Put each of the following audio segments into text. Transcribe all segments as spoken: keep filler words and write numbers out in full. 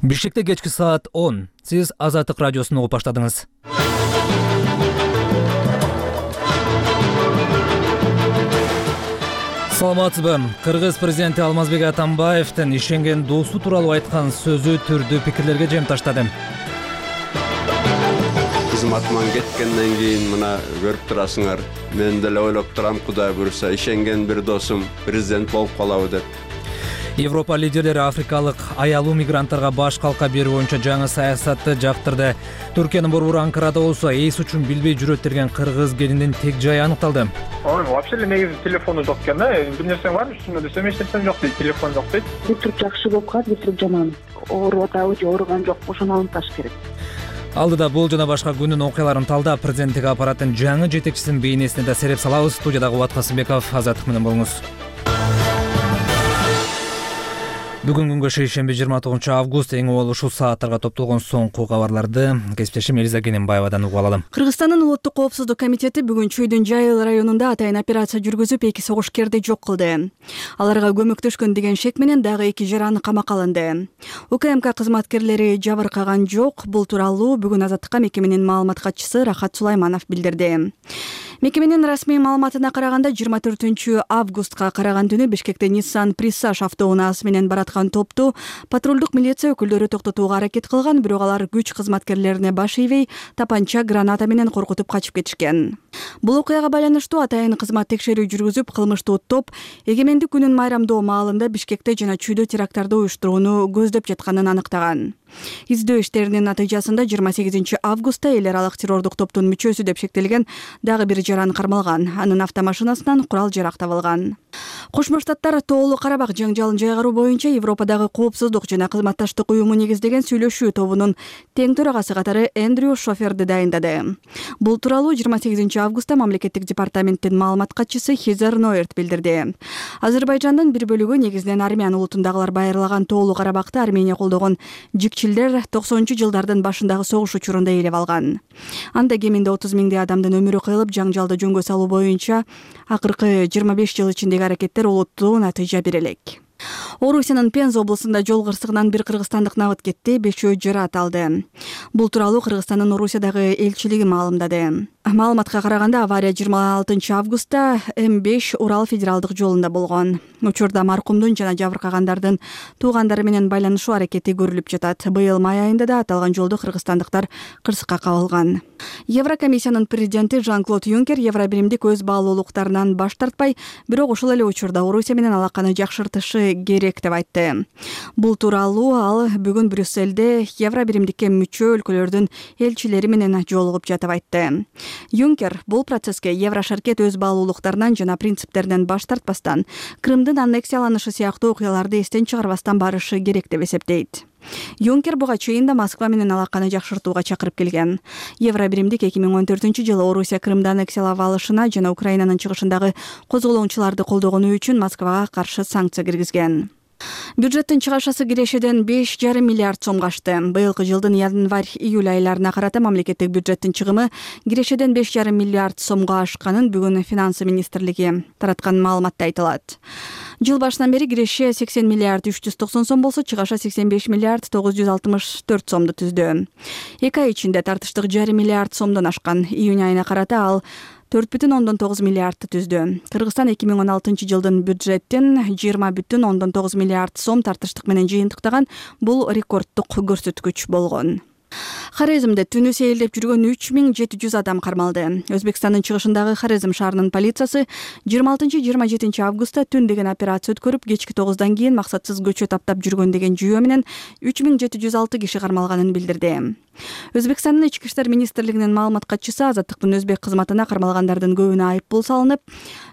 Бишкекте кечки саат он. Сиз Азаттык радиосун угуп баштадыңыз. Саламатсызбы? Кыргыз президенти Алмазбек Атамбаевдин ишенген досу тууралуу айткан сөзү түрдүү пикирлерге жем таштады. Кызматыман кеткенден кийин мына көрүп турасыңар. Мен деле ойлоп турам, Кудай буйруса ишенген бир досум президент болуп калабы деп. Европа лидерлери африкалык аялуу мигранттарга баш калка берүү боюнча жаңы саясатты жактырды. Түркиянын борбору Анкарада болсо эс үчүн билбей жүрөт деген кыргыз келиндин тег жайы аныкталды. Вообще эле негизи телефону жок экен да. Бир нерсе бар, үстүнө десем эч нерсем жок дейт, телефон жок дейт. Бир тур жакшы болуп калат, бир тур жаман. Ооруп атабы же ооруган жокпу, ошону аныкташ керек. Алдыда бул жана башка күндүн окуяларын талдап, президенттик аппараттын жаңы жетекчисинин бейнесине да сереп салабыз. Студиядагы Убат Касымбеков, Азаттык менен болуңуз. Бүгүн күнгө шейшемби жыйырма тогузунчу август эң убал ушул сааттарга топтолгон соңку кабарларды кесиптешим Элиза Кененбаевадан угуп алалым. Кыргызстандын улуттук коопсуздук комитети бүгүн Чүйдүн Жайыл районунда атайын операция жүргүзүп, эки согушкерди жок кылды. Аларга көмөктөшкөн деген шек менен дагы эки жараны камакка алынды. УКМК кызматкерлери жабыркаган жок. Бул тууралуу бүгүн Азаттыкка мекеменин маалымат катчысы Рахат Сулайманов билдирди. Мекеменин расмий маалыматына караганда, жыйырма төртүнчү августка караган түнү Бишкекте Nissan Присаж автоунаасы менен бараткан топту патрулдук милиция өкүлдөрү токтотууга аракет кылган, бирок алар күч кызматкерлерине баш ийбей, тапанча, граната менен коркутуп качып кетишкен. Бул окуяга байланыштуу атайын кызмат текшерүү жүргүзүп, кылмыштуу топ эгемендик күнүн майрамдоо маалында Бишкекте жана Чүйдө теракттарды уюштурууну көздөп жатканын аныктаган. Издөө иштеринин натыйжасында жыйырма сегизинчи августта эл аралык террордук топтун мүчөсү деп шектелген дагы бир жаран кармалган. Анын автомашинасынан курал-жарак табылган. Кошмо Штаттар Тоолуу Карабак жаңжалын жайгаруу боюнча Европадагы коопсуздук жана кызматташтык уюму негиздеген сүйлөшүү тобунун тең төрагасы катары Эндрю Шоферди дайындады. Бул тууралуу жыйырма сегизинчи августта мамлекеттик департаменттин маалымат катчысы Хизер Ноерт билдирди. Азербайжандын бир бөлүгү, негизинен армян улутундагылар байырлаган Тоолуу Карабакты Армения колдогон жикчилдер токсонунчу жылдардын башындагы согуш учурунда ээлеп алган. Анда кеминде отуз миңдей адамдын өмүрү кыйылып, жаңжалды жөнгө салуу боюнча акыркы жыйырма беш жыл ичиндеги аракеттер олуттуу натыйжа бере элек. Орусиянын Пенза облусунда жол кырсыгынан бир кыргызстандык набыт кетти, бешөө жарат алды. Бул тууралуу Кыргызстандын Орусиядагы элчилиги маалымдады. Маалыматка караганда, авария жыйырма алтынчы августта М беш Урал федералдык жолунда болгон. Учурда маркумдун жана жабыркагандардын туугандары менен байланышуу аракети көрүлүп жатат. Быйыл май айында да аталган жолду кыргызстандыктар кырсыкка кабылган. Еврокомиссиянын президенти Жан-Клод Юнкер Евробиримдик өз баалуулуктарынан баш тартпай, бирок ушул эле учурда Орусия менен алаканы жакшыртышы керек деп айтты. Бул тууралуу ал бүгүн Брюссельде Евробиримдикке мүчө өлкөлөрдүн элчилери менен жолугуп жатып айтты. Юнкер бул процесске Еврошаркет өз баалуулуктарынан жана принциптеринен баш тартпастан, Крымдын аннексияланышы сыяктуу окуяларды эстен чыгарбастан барышы керек деп эсептейт. Юнкер буга чейин да Москва менен алаканы жакшыртууга чакырып келген. Евробиримдик эки миң он төртүнчү жылы Орусия Крымды аннексиялап алышына жана Украинанын чыгышындагы козголоңчуларды колдогону үчүн Москвага каршы санкция киргизген. Бюджеттин чыгашасы кирешеден беш жарым миллиард сомго ашты. Быйылкы жылдын январь-июль айларына карата мамлекеттик бюджеттин чыгымы кирешеден беш жарым миллиард сомго ашканын бүгүн Финансы министрлиги тараткан маалыматта айтылат. Жыл башынан бери киреше сексен миллиард үч жүз токсон сом болсо, чыгаша сексен беш миллиард тогуз жүз алтымыш төрт сомду түздү. Эки ай ичинде тартыштык жарым миллиард сомдон ашкан. Июнь айына карата ал төрт бүтүн ондон тогуз миллиардты түздү. Кыргызстан эки миң он алтынчы жылдын бюджеттин жыйырма бүтүн ондон тогуз миллиард сом тартыштык менен жыйынтыктаган. Бул рекорддук көрсөткүч болгон. Хорезмде түнү сейилдеп жүргөн үч миң жети жүз адам кармалды. Өзбекстандын чыгышындагы Хорезм шаарынын полициясы жыйырма алтынчы жыйырма жетинчи августта түн деген операция өткөрүп, кечки тогуздан кийин максатсыз көчө таптап жүргөн деген жүйө менен үч миң жети жүз алты киши кармалганын билдирди. Өзбекстандын ички иштер министрлигинин маалымат катчысы Азаттыктын өзбек кызматына кармалгандардын көбүнө айыппул салынып,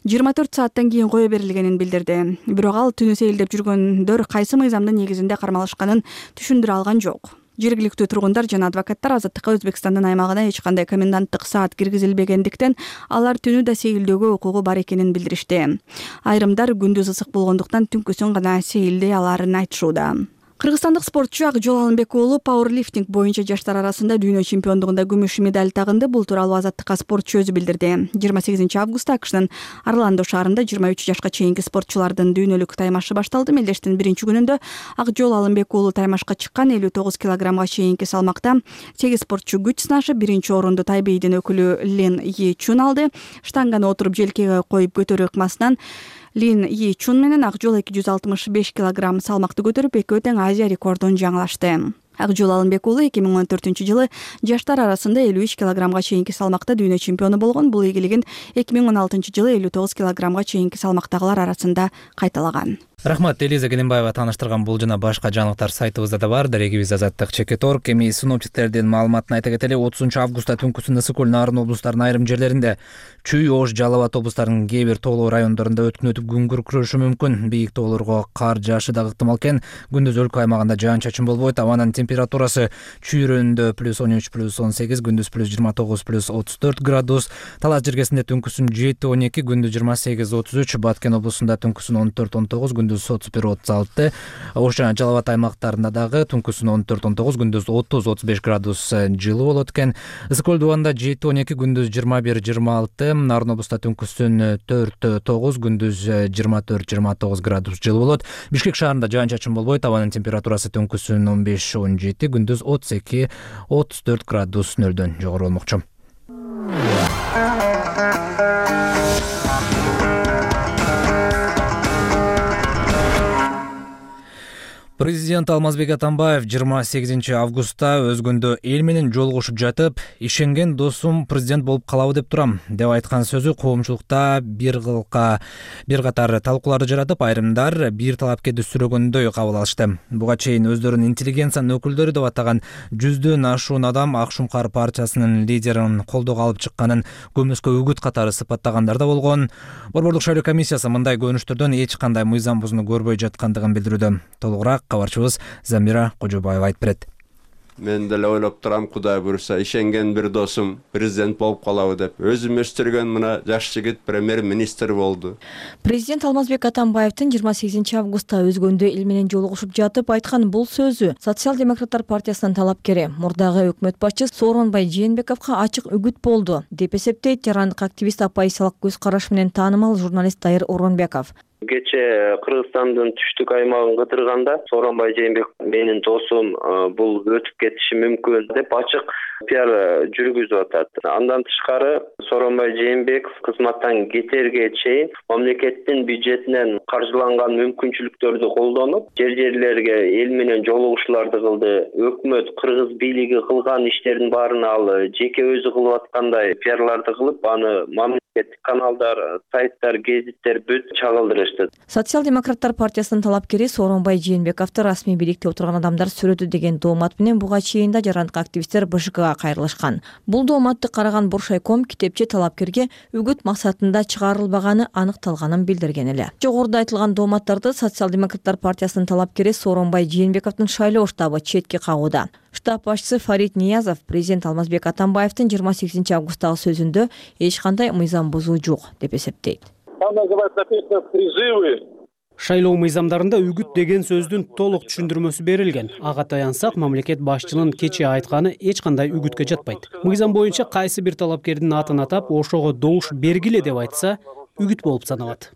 жыйырма төрт сааттан кийин кое берилгенин билдирди. Бирок ал түнү сейилдеп жүргөндөр кайсы мыйзамдын негизинде кармалышканын түшүндүрө алган жок. Жергиликтүү тургундар жана адвокаттар Азаттыкка Өзбекстандын аймагына эч кандай коменданттык саат киргизилбегендиктен алар түнү да сейилдөөгө укугу бар экенин билдиришти. Айрымдар күндүз ысык болгондуктан түнкүсүн гана сейилдей аларын айтышууда. Кыргызстандык спортчу Акжол Алымбек уулу пауэрлифтинг боюнча жаштар арасында дүйнө чемпиондугунда күмүш медаль тагынды. Бул тууралуу Азаттыкка спортчу өзү билдирди. жыйырма сегизинчи августта АКШнын Орландо шаарында жыйырма үч жашка чейинки спортчулардын дүйнөлүк таймашы башталды. Мелдештин биринчи күнүндө Акжол Алымбек уулу таймашка чыккан. элүү тогуз килограммга чейинки салмакта сегиз спортчу күч сынашып, биринчи орунду Тайбейдин өкүлү Лин Йи Чун алды. Штанганы отуруп желкеге коюп көтөрүү ыкмасынан Лин Йи Чун менен Акжол эки жүз алтымыш беш килограмм салмакты көтөрүп, экөө тең Азия рекордун жаңылашты. Акжол Алымбек уулу эки миң он төртүнчү жылы жаштар арасында элүү үч килограммга чейинки салмакта дүйнө чемпиону болгон. Бул ийгилигин эки миң он алтынчы жылы элүү тогуз килограммга чейинки салмактагылар арасында кайталаган. Рахмат, Элиза Келимбаева тааныштырган бул жана башка жаңылыктар сайтыбызда да бар. Дарегибиз Азаттык чекит точка орг. Эми синоптиктердин маалыматына айта кетели, отузунчу августта түнкүсүн ысык көл, Нарын облустарынын айрым жерлеринде, Чүй, Ош, Жалал Абад облустарынын кээ бир тоолуу райондорунда өткүн өтүп күн күркүрөшү мүмкүн. Бийик тоолорго кар жаашы да ыктымал экен. Күндүз өлкө аймагында жаан-чачын болбойт. Абанын температурасы Чүй районунда плюс он үч, плюс он сегиз, күндүз плюс жыйырма тогуз, плюс отуз төрт градус. Талас жергесинде түнкүсүн жети, он эки, күндүз жыйырма сегиз, отуз үч. Баткен облусунда түнкүсүн он төрт, он тогуз, күндүз отуз бир, отуз алты. Ош жана Жалал Абад аймактарында дагы түнкүсүн он төрт, он тогуз, күндүз отуз, отуз беш градус жылуу болот экен. Ысык көл дубанда жети, он эки, күндүз жыйырма бир, жыйырма алты. Нарын облустта түнкүсүн төрт, тогуз, күндүз жыйырма төрт, жыйырма тогуз градус жылуу болот. Бишкек шаарында жаан-чачын болбойт. Абанын температурасы түнкүсүн он беш, он жети, күндүз отуз эки, отуз төрт градус нөлдөн жогору болмокчу. Президент Алмазбек Атамбаев жыйырма сегизинчи августта өзгөндө эл менен жолугушуп жатып, ишенген досум президент болуп калабы деп турам деп айткан сөзү коомчулукта бир кылка бир катар талкууларды жаратып, айрымдар бир талапкерди сүрөгөндөй кабыл алышты. Буга чейин өздөрүн интеллигенциянын өкүлдөрү деп атаган жүздөн ашуун адам Ак Шуңкар партиясынын лидерин колдоого алып чыкканын көмөскө үгүт катары сыпаттагандар да болгон. Борбордук шайлоо комиссиясы мындай көрүнүштөрдөн эч кандай мыйзам бузууну көрбөй жаткандыгын билдирүүдө. Толугураак кабарчыбыз Замира Кожобаева айтып берет. Мен деле ойлоп турам, Кудай буйруса, ишенген бир досум президент болуп калабы деп. Өзүм өстүргөн мына жаш жигит премьер-министр болду. Президент Алмазбек Атамбаевдин жыйырма сегизинчи августта өзгөндө эл менен жолугушуп жатып айткан бул сөзү социал-демократтар партиясынын талапкери, мурдагы өкмөт башчысы Сооронбай Жээнбековго ачык үгүт болду деп эсептейт жарандык активист оппозициялык көз караш менен таанымал журналист Дайыр Орунбеков. Кече Кыргызстандын түштүк аймагын кыдырганда Сооронбай Жээнбеков менин досум, бул өтүп кетиши мүмкүн деп ачык пиар жүргүзүп атат. Андан тышкары Сооронбай Жээнбеков кызматтан кетерге чейин мамлекеттин бюджетинен каржыланган мүмкүнчүлүктөрдү колдонуп, жер-жерлерге эл менен жолугушууларды кылды. Өкмөт кыргыз бийлиги кылган иштердин баарын ал жеке өзү кылып аткандай пиарларды кылып, аны мамлекеттик каналдар, сайттар, гезиттер бүт чагылдырышты. Социал-демократтар партиясынын талапкери Сооронбай Жээнбековду расмий бийликте отурган адамдар сүрөтү деген доомат менен буга чейин да жарандык активисттер БШКга кайрылышкан. Бул дооматты караган Боршайком китепче талапкерге үгүт максатында чыгарылбаганы аныкталганын билдирген эле. Жогоруда айтылган дооматтарды Социал-демократтар партиясынын талапкери Сооронбай Жээнбековдун шайлоо штабы четке кагууда. Штаб башчысы Фарид Ниязов президент Алмазбек Атамбаевдин жыйырма сегизинчи августтагы сөзүндө эч кандай мыйзам бузуу жок деп эсептейт. Шайлоо мыйзамдарында үгүт деген сөздүн толук түшүндүрмөсү берилген. Ага таянсак, мамлекет башчынын кечээ айтканы эч кандай үгүткө жатпайт. Мыйзам боюнча кайсы бир талапкердин атын атап, ошого добуш бергиле деп айтса, үгүт болуп саналат.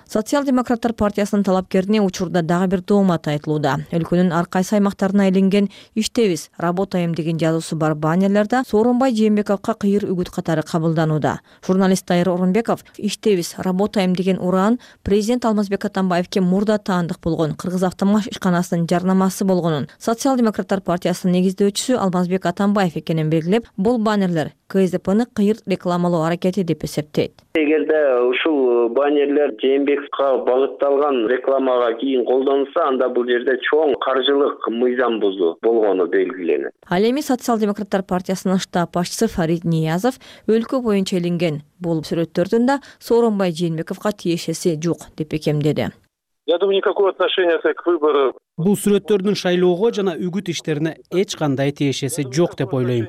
Социал-демократтар партиясынын талапкерине учурда дагы бир доомат айтылууда. Өлкөнүн ар кайсы аймактарына илинген «Иштебиз, работаем» деген жазуусу бар баннерлерде Сооронбай Жээнбековго кыйыр үгүт катары кабылданууда. Журналист Дайыр Орунбеков «Иштебиз, работаем» деген ураан президент Алмазбек Атамбаевге мурда таандык болгон Кыргыз автомаш ишканасынын жарнамасы болгонун, социал-демократтар партиясынын негиздөөчүсү Алмазбек Атамбаев экенин белгилеп, бул баннерлер КСДПны кыйыр рекламалоо аракети деп эсептейт. Эгерде ушул баннерлер Жээнбековго багытталган рекламага кийин колдонулса, анда бул жерде чоң каржылык мыйзам бузуу болгону белгиленет. Ал эми социал-демократтар партиясынын штаб башчысы Фарид Ниязов өлкө боюнча илинген бул сүрөттөрдүн да Сооронбай Жээнбековго тиешеси жок деп бекемдеди. Я думаю, никакого отношения к выбору. Бул сүрөттөрдүн шайлоого жана үгүт иштерине эч кандай тиешеси жок деп ойлойм.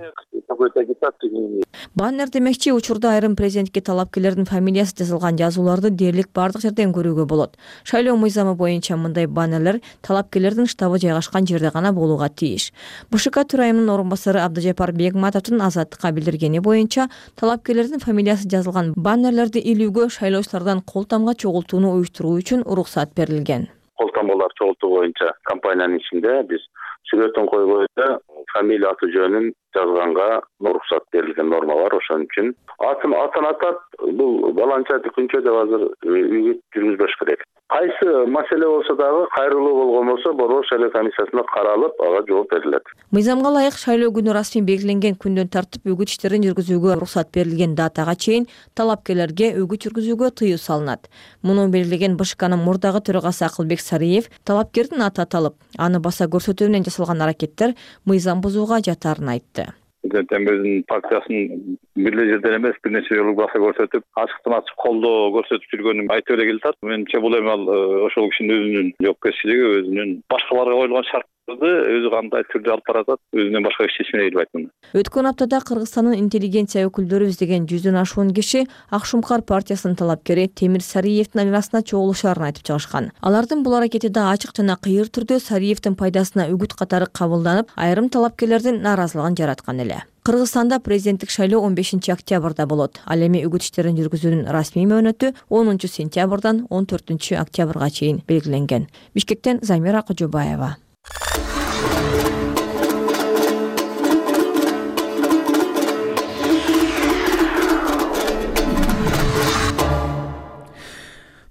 Баннер демекчи учурда айрым президентке талапкерлердин фамилиясы жазылган жазууларды дээрлик бардык жерден көрүүгө болот. Шайлоо мыйзамы боюнча мындай баннерлер талапкерлердин штабы жайгашкан жерде гана болууга тийиш. БШК төрайымынын орун басары Абдыжапар Бегматовдун Азаттыкка билдиргени боюнча талапкерлердин фамилиясы жазылган баннерлерди илүүгө шайлоочулардан кол тамга чогултууну уюштуруу үчүн уруксат берилген. Кол тамгалар чогултуу боюнча компаниянын ичинде биз сүрөтүн койгоюда фамилия аты жөнүн жазганга уруксат берилген норма бар. Ошон үчүн атын атын атап бул баланча күнчө деп азыр үгүт жүргүзбөш керек. Кайсы маселе болсо дагы кайрылуу болгон болсо борбор шайлоо комиссиясына каралып ага жооп берилет. Мыйзамга ылайык шайлоо күнү расмий белгиленген күндөн тартып үгүт иштерин жүргүзүүгө уруксат берилген датага чейин талапкерлерге үгүт жүргүзүүгө тыюу салынат. Муну белгилеген БШКнын мурдагы төрагасы Акылбек Сариев талапкердин аты аталып, аны баса көрсөтүү менен жасалган аракеттер мыйзам бузууга жатарын айтты. Президент өзүнүн партиясын бир жерден эмес бир нече жолу баса көрсөтүп, ачыктан ачык колдоо көрсөтүп жүргөнүн айтып эле келатат. Менимче бул эми ал ошол кишинин өзүнүн жоопкерчилиги, өзүнүн башкаларга коюлган шарттарды өзү кандай түрдө алып баратат, өзүнөн башка эч чечме келбейт муну. Өткөн аптада Кыргызстандын интеллигенция өкүлдөрү издеген жүздөн ашуун киши Ак Шумкар партиясынын талапкери Темир Сариевдин айланасына чогулушаарын айтып чыгышкан. Алардын бул аракети да ачык жана кыйыр түрдө Сариевдин пайдасына үгүт катары кабылданып, айрым талапкерлердин нааразылыгын жараткан эле. Кыргызстанда президенттик шайлоо он бешинчи октябрда болот. Ал эми үгүт иштерин жүргүзүүнүн расмий мөөнөтү онунчу сентябрдан он төртүнчү октябрга чейин белгиленген. Бишкектен Замира Кожобаева.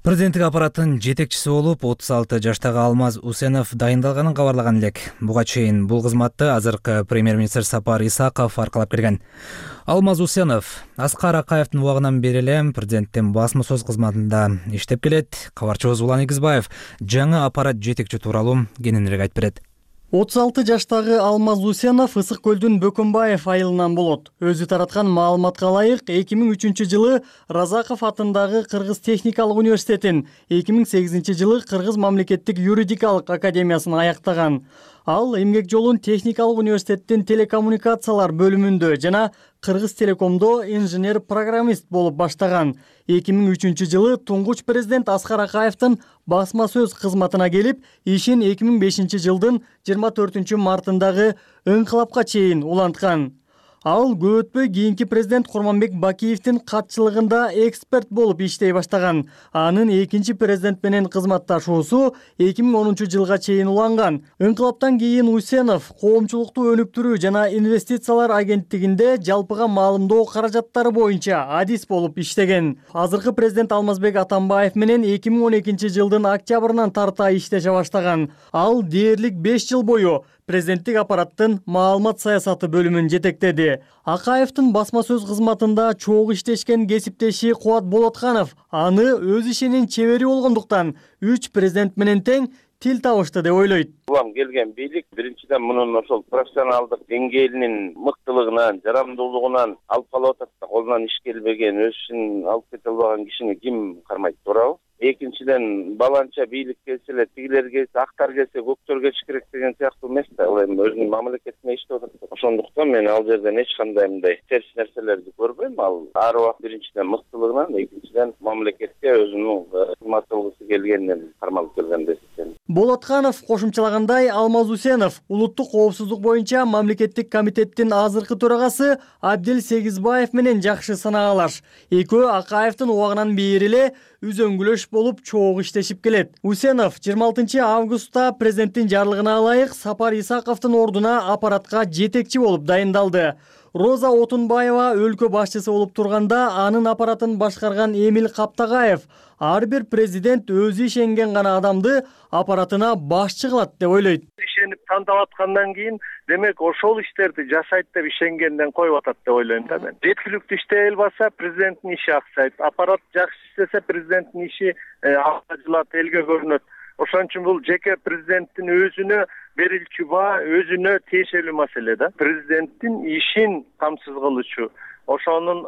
Президенттик аппараттын жетекчиси болуп отуз алты жаштагы Алмаз Усенов дайындалганын кабарлаган элек. Буга чейин бул кызматты азыркы премьер-министр Сапар Исаков аркалап келген. Алмаз Усенов Аскар Акаевдин убагынан бери эле президенттин басма сөз кызматында иштеп келет. Кабарчыбыз Улан Игизбаев жаңы аппарат жетекчи тууралуу кененирээк айтып берет. отуз алты жаштагы Алмаз Усенов Ысык көлдүн Бөкөнбаев айылынан болот. Өзү тараткан маалыматка ылайык эки миң үчүнчү жылы Разаков атындагы Кыргыз техникалык университетин, эки миң сегизинчи жылы Кыргыз мамлекеттик юридикалык академиясын аяктаган. Ал эмгек жолун техникалык университеттин телекоммуникациялар бөлүмүндө жана Кыргыз телекомдо инженер-программист болуп баштаган. эки миң үчүнчү жылы туңгуч президент Аскар Акаевдин басма сөз кызматына келип, ишин эки миң бешинчи жылдын жыйырма төртүнчү мартындагы ыңкылапка чейин уланткан. Ал көп өтпөй кийинки президент Курманбек Бакиевдин катчылыгында эксперт болуп иштей баштаган. Анын экинчи президент менен кызматташуусу эки миң онунчу жылга чейин уланган. Ыңкылаптан кийин Усенов коомчулукту өнүктүрүү жана инвестициялар агенттигинде жалпыга маалымдоо каражаттары боюнча адис болуп иштеген. Азыркы президент Алмазбек Атамбаев менен эки миң он экинчи жылдын октябрынан тарта иштеше баштаган. Ал дээрлик беш жыл бою президенттик аппараттын маалымат саясаты бөлүмүн жетектеди. Акаевдин басма сөз кызматында чогуу иштешкен кесиптеши Кубат Болотканов аны өз ишинин чебери болгондуктан үч президент менен тең тил табышты деп ойлойт. Улам келген бийлик биринчиден мунун ошол профессионалдык деңгээлинин мыктылыгынан, жарамдуулугунан алып калып атат да, колунан иш келбеген, өз ишин алып кете албаган кишини ким кармайт, туурабы? Экинчиден баланча бийлик келсе эле, тигилер келсе, актар келсе, көктөр келиш керек деген сыяктуу эмес да. Ал эми өзүнүн мамлекетине иштеп атат. Ошондуктан мен ал жерден эч кандай мындай терс нерселерди көрбөйм. Ал ар убакыт биринчиден мыктылыгынан, экинчиден мамлекетке өзүнүн кызмат кылгысы келгенинен кармалып келген деп эсептейм. Болотканов кошумчалагандай, Алмаз Усенов улуттук коопсуздук боюнча мамлекеттик комитеттин азыркы төрагасы Абдел Сегизбаев менен жакшы санагалаш. Экөө Акаевдин убагынан бери эле үзөңгүлөш болуп чогуу иштешип келет. Усенов жыйырма алтынчы августта президенттин жарлыгына ылайык Сапар Исаковдун ордуна аппаратка жетекчи болуп дайындалды. Роза Отунбаева өлкө башчысы болуп турганда анын аппаратын башкарган Эмил Каптагаев ар бир президент өзү ишенген гана адамды аппаратына башчы кылат деп ойлойт. Ишенип тандап аткандан кийин демек ошол иштерди жасайт деп ишенгенден коюп атат деп ойлойм да мен. Жеткиликтүү иштей албаса президенттин иши аксайт. Аппарат жакшы иштесе президенттин иши алгажылат, элге көрүнөт. Ошон үчүн бул жеке президенттин өзүнө берилчү баа өзүнө тиешелүү маселе да. Президенттин ишин камсыз кылуучу, ошонун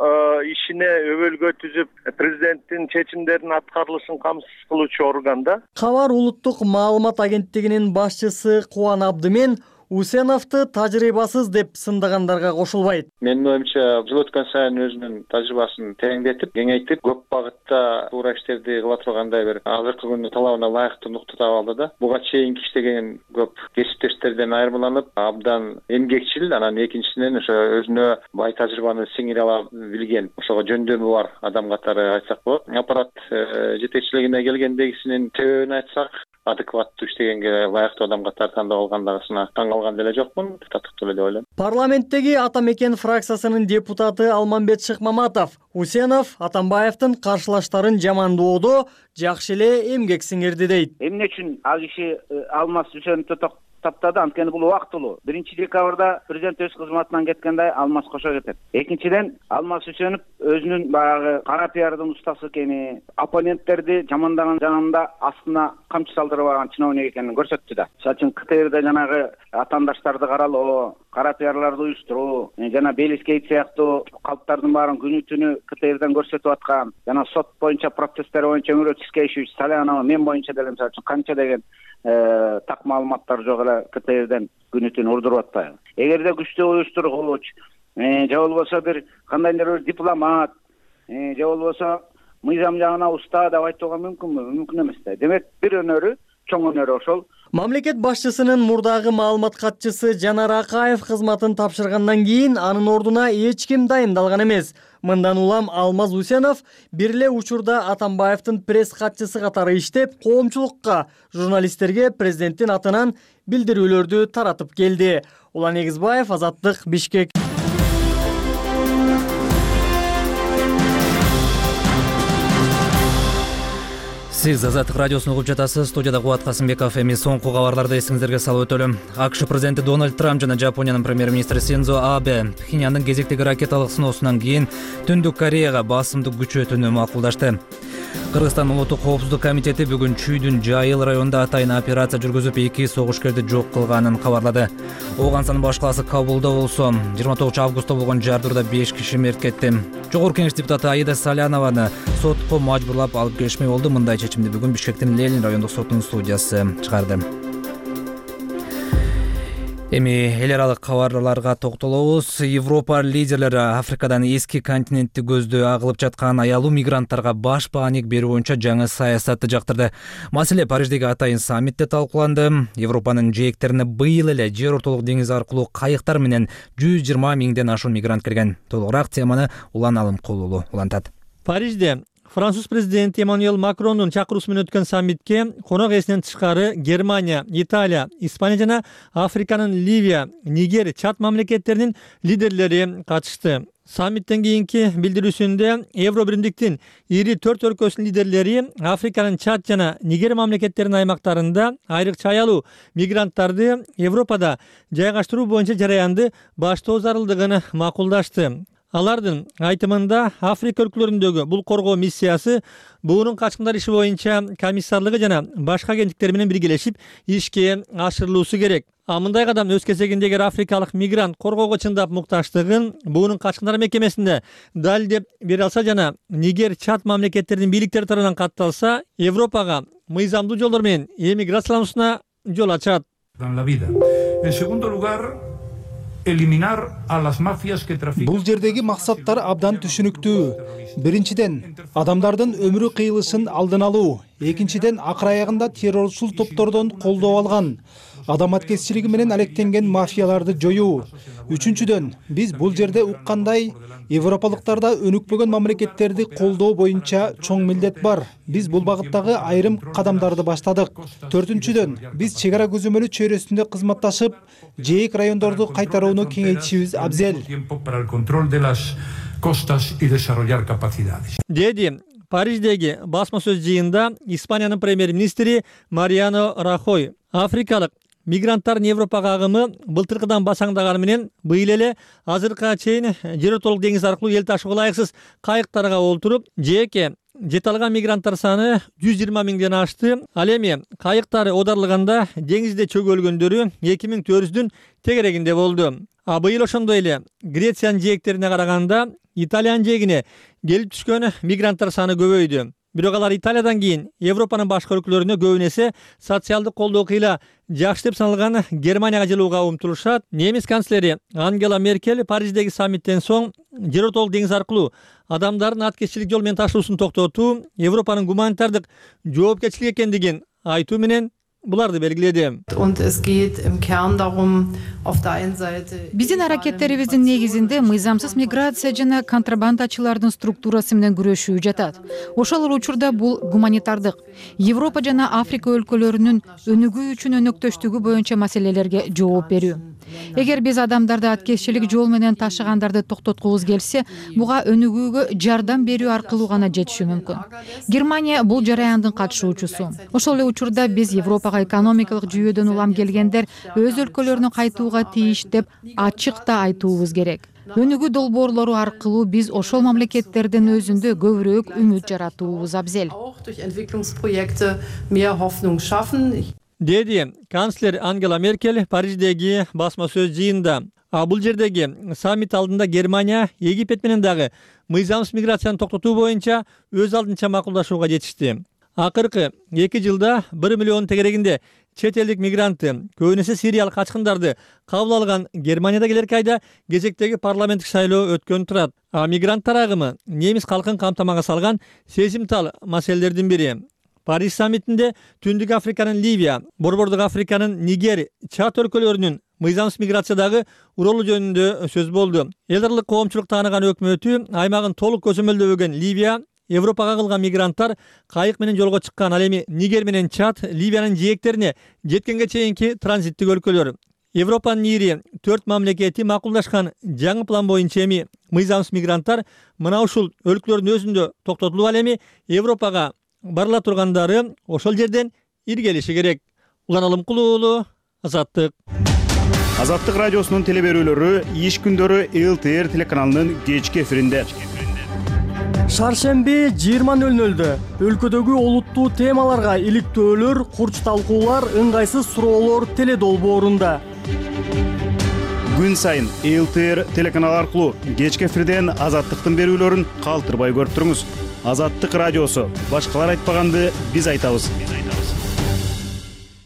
ишине өбөлгө түзүп, президенттин чечимдеринин аткарылышын камсыз кылуучу орган да. Кабар улуттук маалымат агенттигинин башчысы Кубан Абдымен Усеновду тажрыйбасыз деп сындагандарга кошулбайт. Менин оюмча, жыл өткөн сайын өзүнүн тажрыйбасын тереңдетип, кеңейтип, көп багытта туура иштерди кыла тургандай бир азыркы күндүн талабына ылайыктуу нукта таап алды да. Буга чейин иштеген көп кесиптештерден айырмаланып, абдан эмгекчил, анан экинчиден ошо өзүнө бай тажрыйбаны сиңире ала билген, ошого жөндөмү бар адам катары айтсак болот. Аппарат жетекчилигине келгендегисинин себебин айтсак, адекваттуу иштегенге ылайыктуу адам катары тандап алгандыгына таң калган деле жокмун, татыктуу эле деп ойлойм. Парламенттеги Ата Мекен фракциясынын депутаты Алмамбет Шыкмаматов Усенов Атамбаевдин каршылаштарын жамандоодо жакшы эле эмгек сиңирди дейт. Эмне үчүн ал киши Алмаз Усеновду таптады? Анткени бул убактылуу. биринчи декабрда президент өз кызматынан кеткенде Алмаз кошо кетет. Экинчиден, Алмаз Усенов өзүнүн баягы кара пиардын устасы экени, оппоненттерди жамандаган жанында астына камчы салдырып алган чиновник экенин көрсөттү да. Мисалы үчүн КТРде жанагы атаандаштарды каралоо, кара пиарларды уюштуруу, жана Белискейт сыяктуу калптардын баарын күнү түнү КТРден көрсөтүп аткан, жана сот боюнча процесстер боюнча Өмүрөт Тискеевич Салянова мен боюнча деле мисалы үчүн канча деген так маалыматтар жок эле КТРден күнү түнү урдуруп атпайбы. Эгерде күчтүү уюштургуч же болбосо бир кандайдыр бир дипломат же болбосо мыйзам жагына уста деп айтууга мүмкүнбү? Мүмкүн эмес да. Демек бир өнөрү, чоң өнөрү ошол. Мамлекет башчысынын мурдагы маалымат катчысы Жанар Акаев кызматын тапшыргандан кийин анын ордуна эч ким дайындалган эмес. Мындан улам Алмаз Усенов бир эле учурда Атамбаевдин пресс катчысы катары иштеп, коомчулукка, журналисттерге президенттин атынан билдирүүлөрдү таратып келди. Улан Эгизбаев, Азаттык, Бишкек. Сиз Азаттык радиосун угуп жатасыз. Студияда Кубат Касымбеков. Эми соңку кабарларды эсиңиздерге салып өтөлүм. АКШ президенти Дональд Трамп жана Жапониянын премьер-министри Синдзо Абе Пхеньяндын кезектеги ракеталык сыноосунан кийин Түндүк Кореяга басымды күчөтүүнү макулдашты. Кыргызстан Улуттук коопсуздук комитети бүгүн Чүйдүн Жайыл районунда атайын операция жүргүзүп, эки согушкерди жок кылганын кабарлады. Оогансанын баш калаасы Кабулда болсо, жыйырма тогузунчу августта болгон жардырда беш киши мерт кетти. Жогорку Кеңеш депутаты Аида Салянованы сотко мажбурлап алып келишмей болду. Мындай чечимди бүгүн Бишкектин Ленин райондук сотунун судьясы чыгарды. Эми эл аралык кабарларга токтолобуз. Европа лидерлери Африкадан эски континентти көздөй агылып жаткан аялуу мигранттарга баш бааник берүү боюнча жаңы саясатты жактырды. Маселе Париждеги атайын саммитте талкууланды. Европанын жээктерине быйыл эле жер ортолук деңиз аркылуу кайыктар менен жүз жыйырма миңден ашуун мигрант кирген. Толугураак теманы Улан Алымкулуулу улантат. Парижде Француз президенти Эммануэль Макрондун чакыруусу менен өткөн саммитке конок ээсинен тышкары Германия, Италия, Испания жана Африканын Ливия, Нигер, Чад мамлекеттеринин лидерлери катышты. Саммиттен кийинки билдирүүсүндө Евро биримдиктин ири төрт өлкөсүнүн лидерлери Африканын Чад жана Нигер мамлекеттеринин аймактарында айрыкча аялуу мигранттарды Европада жайгаштыруу боюнча жараянды баштоо зарылдыгын макулдашты. Алардын айтымында Африка өлкөлөрүндөгү бул коргоо миссиясы буунун качкындар иши боюнча комиссарлыгы жана башка агенттиктер менен биргелешип ишке ашырылуусу керек. А мындай кадам өз кезегинде эгер африкалык мигрант коргоого чындап мукташтыгын буунун качкындар мекемесинде далилдеп бере алса жана Нигер, Чад мамлекеттеринин бийликтери тарабынан катталса, Европага мыйзамдуу жолдор менен эмиграциялануусуна жол ачат. En segundo lugar, eliminar a las mafias que trafican. Бул жердеги максаттар абдан түшүнүктүү. Биринчиден, адамдардын өмүрү кыйылышын алдын алуу. Экинчиден, акыр аягында террорчул топтордон колдоо алган, адаматкерчилиги менен алектенген мафияларды жоюу. Үчүнчүдөн, биз бул жерде уккандай европалыктарда өнүкпөгөн мамлекеттерди колдоо боюнча чоң милдет бар. Биз бул багыттагы айрым кадамдарды баштадык. Төртүнчүдөн, биз чек ара көзөмөлү чөйрөсүндө кызматташып, жээк райондорду кайтарууну кеңейтишибиз абзел. Деди Париждеги басма сөз жыйында Испаниянын премьер-министри Мариано Рахой африкалык мигранттардын Европага агымы былтыркыдан басаңдаганы менен быйыл эле азыркыга чейин жер ортолук деңиз аркылуу эл ташууга ылайыксыз кайыктарга олтуруп, жээкке жете алган мигранттар саны жүз жыйырма миңден ашты. Ал эми кайыктары оодарылганда деңизде чөгөлгөндөрү эки миң төрт жүздүн тегерегинде болду. А быйыл ошондой эле Грециянын жээктерине караганда Италиянын жээгине келип түшкөн мигранттар саны көбөйдү. Бирок алар Италиядан кийин Европанын башка өлкөлөрүнө көбүн эсе социалдык колдоо кыйла жакшы деп саналган Германияга жылууга умтулушат. Немис канцлери Ангела Меркель Париждеги саммиттен соң Жеротолук деңиз аркылуу адамдардын аткезчилик жол менен ташуусун токтотуу Европанын гуманитардык жоопкерчилик экендигин айтуу менен буларды белгиледи. Биздин аракеттерибиздин негизинде мыйзамсыз миграция жана контрабандачылардын структурасы менен күрөшүү жатат. Ошол эле учурда бул гуманитардык Европа жана Африка өлкөлөрүнүн өнүгүү үчүн өнөктөштүгү боюнча маселелерге жооп берүү. Эгер биз адамдарды аткезчилик жол менен ташыгандарды токтоткубуз келсе, буга өнүгүүгө жардам берүү аркылуу гана жетиши мүмкүн. Германия бул жараяндын катышуучусу. Ошол эле учурда биз Европага экономикалык жүйөдөн улам келгендер өз өлкөлөрүнө кайтууга тийиш деп ачык да айтуубуз керек. Өнүгүү долбоорлору аркылуу биз ошол мамлекеттердин өзүндө көбүрөөк үмүт жаратуубуз абзел. Деди канцлер Ангела Меркель Париждеги басма сөз жыйында. А бул жердеги саммит алдында Германия Египет менен дагы мыйзамсыз миграцияны токтотуу боюнча өз алдынча макулдашууга жетишти. Акыркы эки жылда бир миллион тегерегинде чет элдик мигрантты, көбүн эсе сириялык качкындарды кабыл алган Германияда келерки айда кезектеги парламенттик шайлоо өткөн турат. А мигранттар агымы немис калкын камтамага салган сезимтал маселелердин бири. Париж саммитинде Түндүк Африканын Ливия, Борбордук Африканын Нигер, Чад өлкөлөрүнүн мыйзамсыз миграциядагы уролу жөнүндө сөз болду. Эл аралык коомчулук тааныган өкмөтү аймагын толук көзөмөлдөбөгөн Ливия, Европага кагылган мигранттар кайык менен жолго чыккан. Ал эми Нигер менен Чад Ливиянын жээктерине жеткенге чейинки транзиттик өлкөлөр. Европанын ири төрт мамлекети макулдашкан жаңы план боюнча эми мыйзамсыз мигранттар мына ушул өлкөлөрдүн өзүндө токтотулуп, ал эми Европага барыла тургандары ошол жерден иргелиши керек. Улан Алымкулуу уулу, Азаттык. Азаттык радиосунун телеберүүлөрү иш күндөрү эл тэ эр телеканалынын кечки эфиринде. Шаршемби жыйырма нөл нөлдө өлкөдөгү олуттуу темаларга иликтөөлөр, курч талкуулар, ыңгайсыз суроолор теледолбоорунда. Күн сайын эл тэ эр телеканалы аркылуу кечки эфирден Азаттыктын берүүлөрүн калтырбай көрүп туруңуз. Азаттык радиосу. Башкалар айтпаганды биз айтабыз.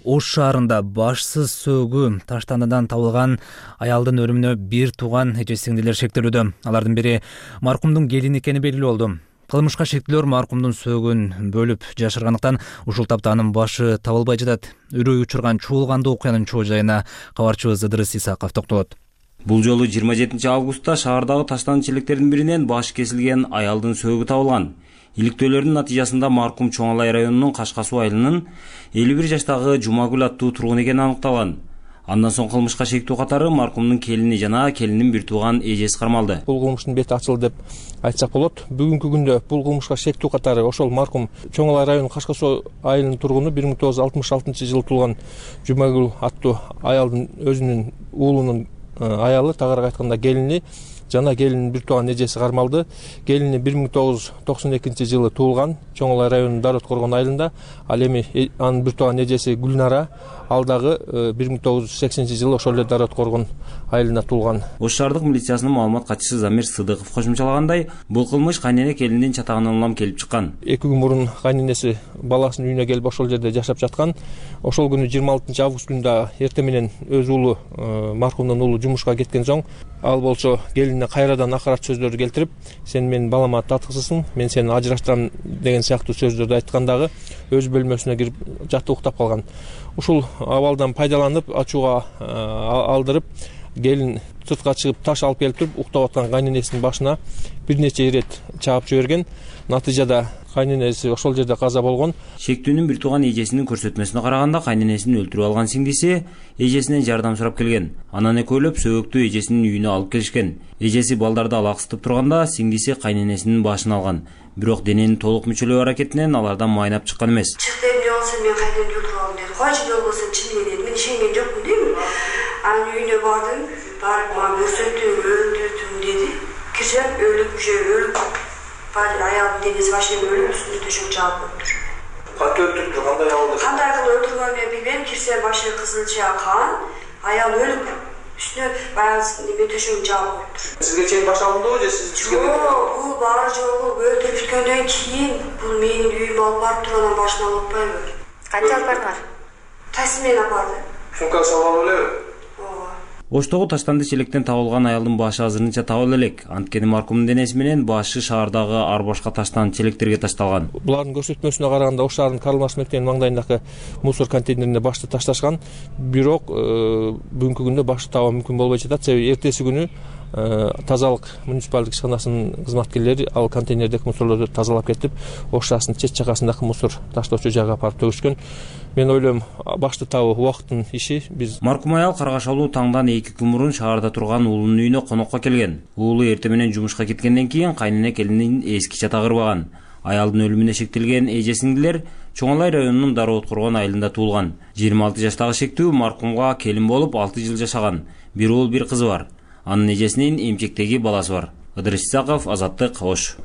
Ош шаарында башсыз сөөгү таштандан табылган аялдын өлүмүнө бир тууган эже-сиңдилер шектелүүдө. Алардын бири маркумдун келини экени белгилүү болду. Кылмышка шектилер маркумдун сөөгүн бөлүп жашыргандыктан ушул тапта анын башы табылбай жатат. Үрөй учурган чуулгандуу окуянын чоо жайына кабарчыбыз Ыдырыс Исаков токтолот. Бул жолу жыйырма жетинчи августта шаардагы таштанчылыктердин биринен башы кесилген аялдын сөөгү табылган. Иликтөөлөрдүн натыйжасында маркум Чоң Алай районунун Кашка суу айылынын элүү бир жаштагы Жумагүл аттуу тургун экени аныкталган. Андан соң кылмышка шектүү катары маркумдун келини жана келинин бир тууган эжеси кармалды. Бул кылмыштын бети ачылды деп айтсак болот. Бүгүнкү күндө бул кылмышка шектүү катары ошол маркум Чоң Алай районунун Кашка суу айылынын тургуну бир миң тогуз жүз алтымыш алтынчы жылы туулган Жумагүл аттуу аялдын өзүнүн уулунун аялы, тагыраак айтканда келини жана келинин бир тууган эжеси кармалды. Келини бир миң тогуз жүз токсон экинчи жылы туулган Чоң Алай районунун Дарот коргон айылында. Ал эми анын бир тууган эжеси Гүлнара ал дагы бир миң тогуз жүз сексенинчи жылы ошол эле Дарот коргон айылында туулган. Ош шаардык милициясынын маалымат катчысы Замир Сыдыков кошумчалагандай, бул кылмыш кайнене келиндин чатагынан улам келип чыккан. Эки күн мурун кайненеси баласынын үйүнө келип ошол жерде жашап жаткан. Ошол күнү жыйырма алтынчы август күнүндө эрте менен өз уулу маркумдун уулу жумушка кеткен соң ал болсо келинине кайрадан акырат сөздөрдү келтирип, сен менин балама татыксызсың, мен сени ажыраштырам деген сыяктуу сөздөрдү айткан дагы өз бөлмөсүнө кирип жатып уктап калган. Ушул абалдан пайдаланып ачууга алдырып, келин сыртка чыгып таш алып келип туруп уктап аткан кайненесинин башына бир нече ирет чаап жиберген. Натыйжада кайненеси ошол жерде каза болгон. Шектүүнүн бир тууган эжесинин көрсөтмөсүнө караганда кайненесин өлтүрүп алган сиңдиси эжесинен жардам сурап келген. Анан экөөлөп сөөгүктү эжесинин үйүнө алып келишкен. Эжеси балдарды алаксытып турганда сиңдиси кайненесинин башын алган. Бирок денени толук мүчөлөө аракетинен алардан майнап чыккан эмес. Чыкты эмне болсо мен кайненемди өлтүрүп алдым деди. Койчу жол болсо чын деди. Мен ишенген жокмун дейм. Анын үйүнө бардым, барып мага көрсөттү, өлтүрдүм деди. Кирсем өлүк уже өлүк. Аялдын денеси башынан өлүп, үстүнө төшөк жаап коюптур. Кантип өлтүрдү? Кандай абалда? Кандай кылып өлтүргөнүн мен билбейм. Кирсем башы кызылча кан, аял өлүк. Үстүнө баягы неме төшөгүн жаап коюптур. Сизге чейин башталдыбы же сиз түшкөндөн кийин? Жок, бул баары жолу өлтүрүп бүткөндөн кийин бул менин үйүмө алып барып туруп анан башына алып атпайбы? Канча алып бардыңар? Такси менен алып барды. Сумканы салып алып элеби? Оштогу таштанды челектен табылган аялдын башы азырынча табыла элек. Анткени маркумдун денеси менен башы шаардагы ар башка таштанды челектерге ташталган. Булардын көрсөтмөсүнө караганда Ош шаарынын Карл Маркс мектебинин маңдайындагы мусор контейнерине башты ташташкан. Бирок бүгүнкү күндө башты табуу мүмкүн болбой жатат. Себеби эртеси күнү тазалык муниципалдык ишканасынын кызматкерлери ал контейнердеги мусорлорду тазалап кетип, Ош шаарынын чет жагасындагы мусор таштоочу жайга апарып төгүшкөн. Мен ойлойм, башты табуу убакыттын иши. Биз маркум аял каргашалуу таңдан эки күн мурун шаарда турган уулунун үйүнө конокко келген. Уулу эртең менен жумушка кеткенден кийин кайнене келинин эски чатагы ырбаган. Аялдын өлүмүнө шектелген эже сиңдилер Чоң Алай районунун Дары Откоргон айылында туулган. жыйырма алты жаштагы шектүү маркумга келин болуп алты жыл жашаган. Бир уул, бир кызы бар. Анын эжесинин эмчектеги баласы бар. Ыдырыс Исаков, Азаттык, Ош.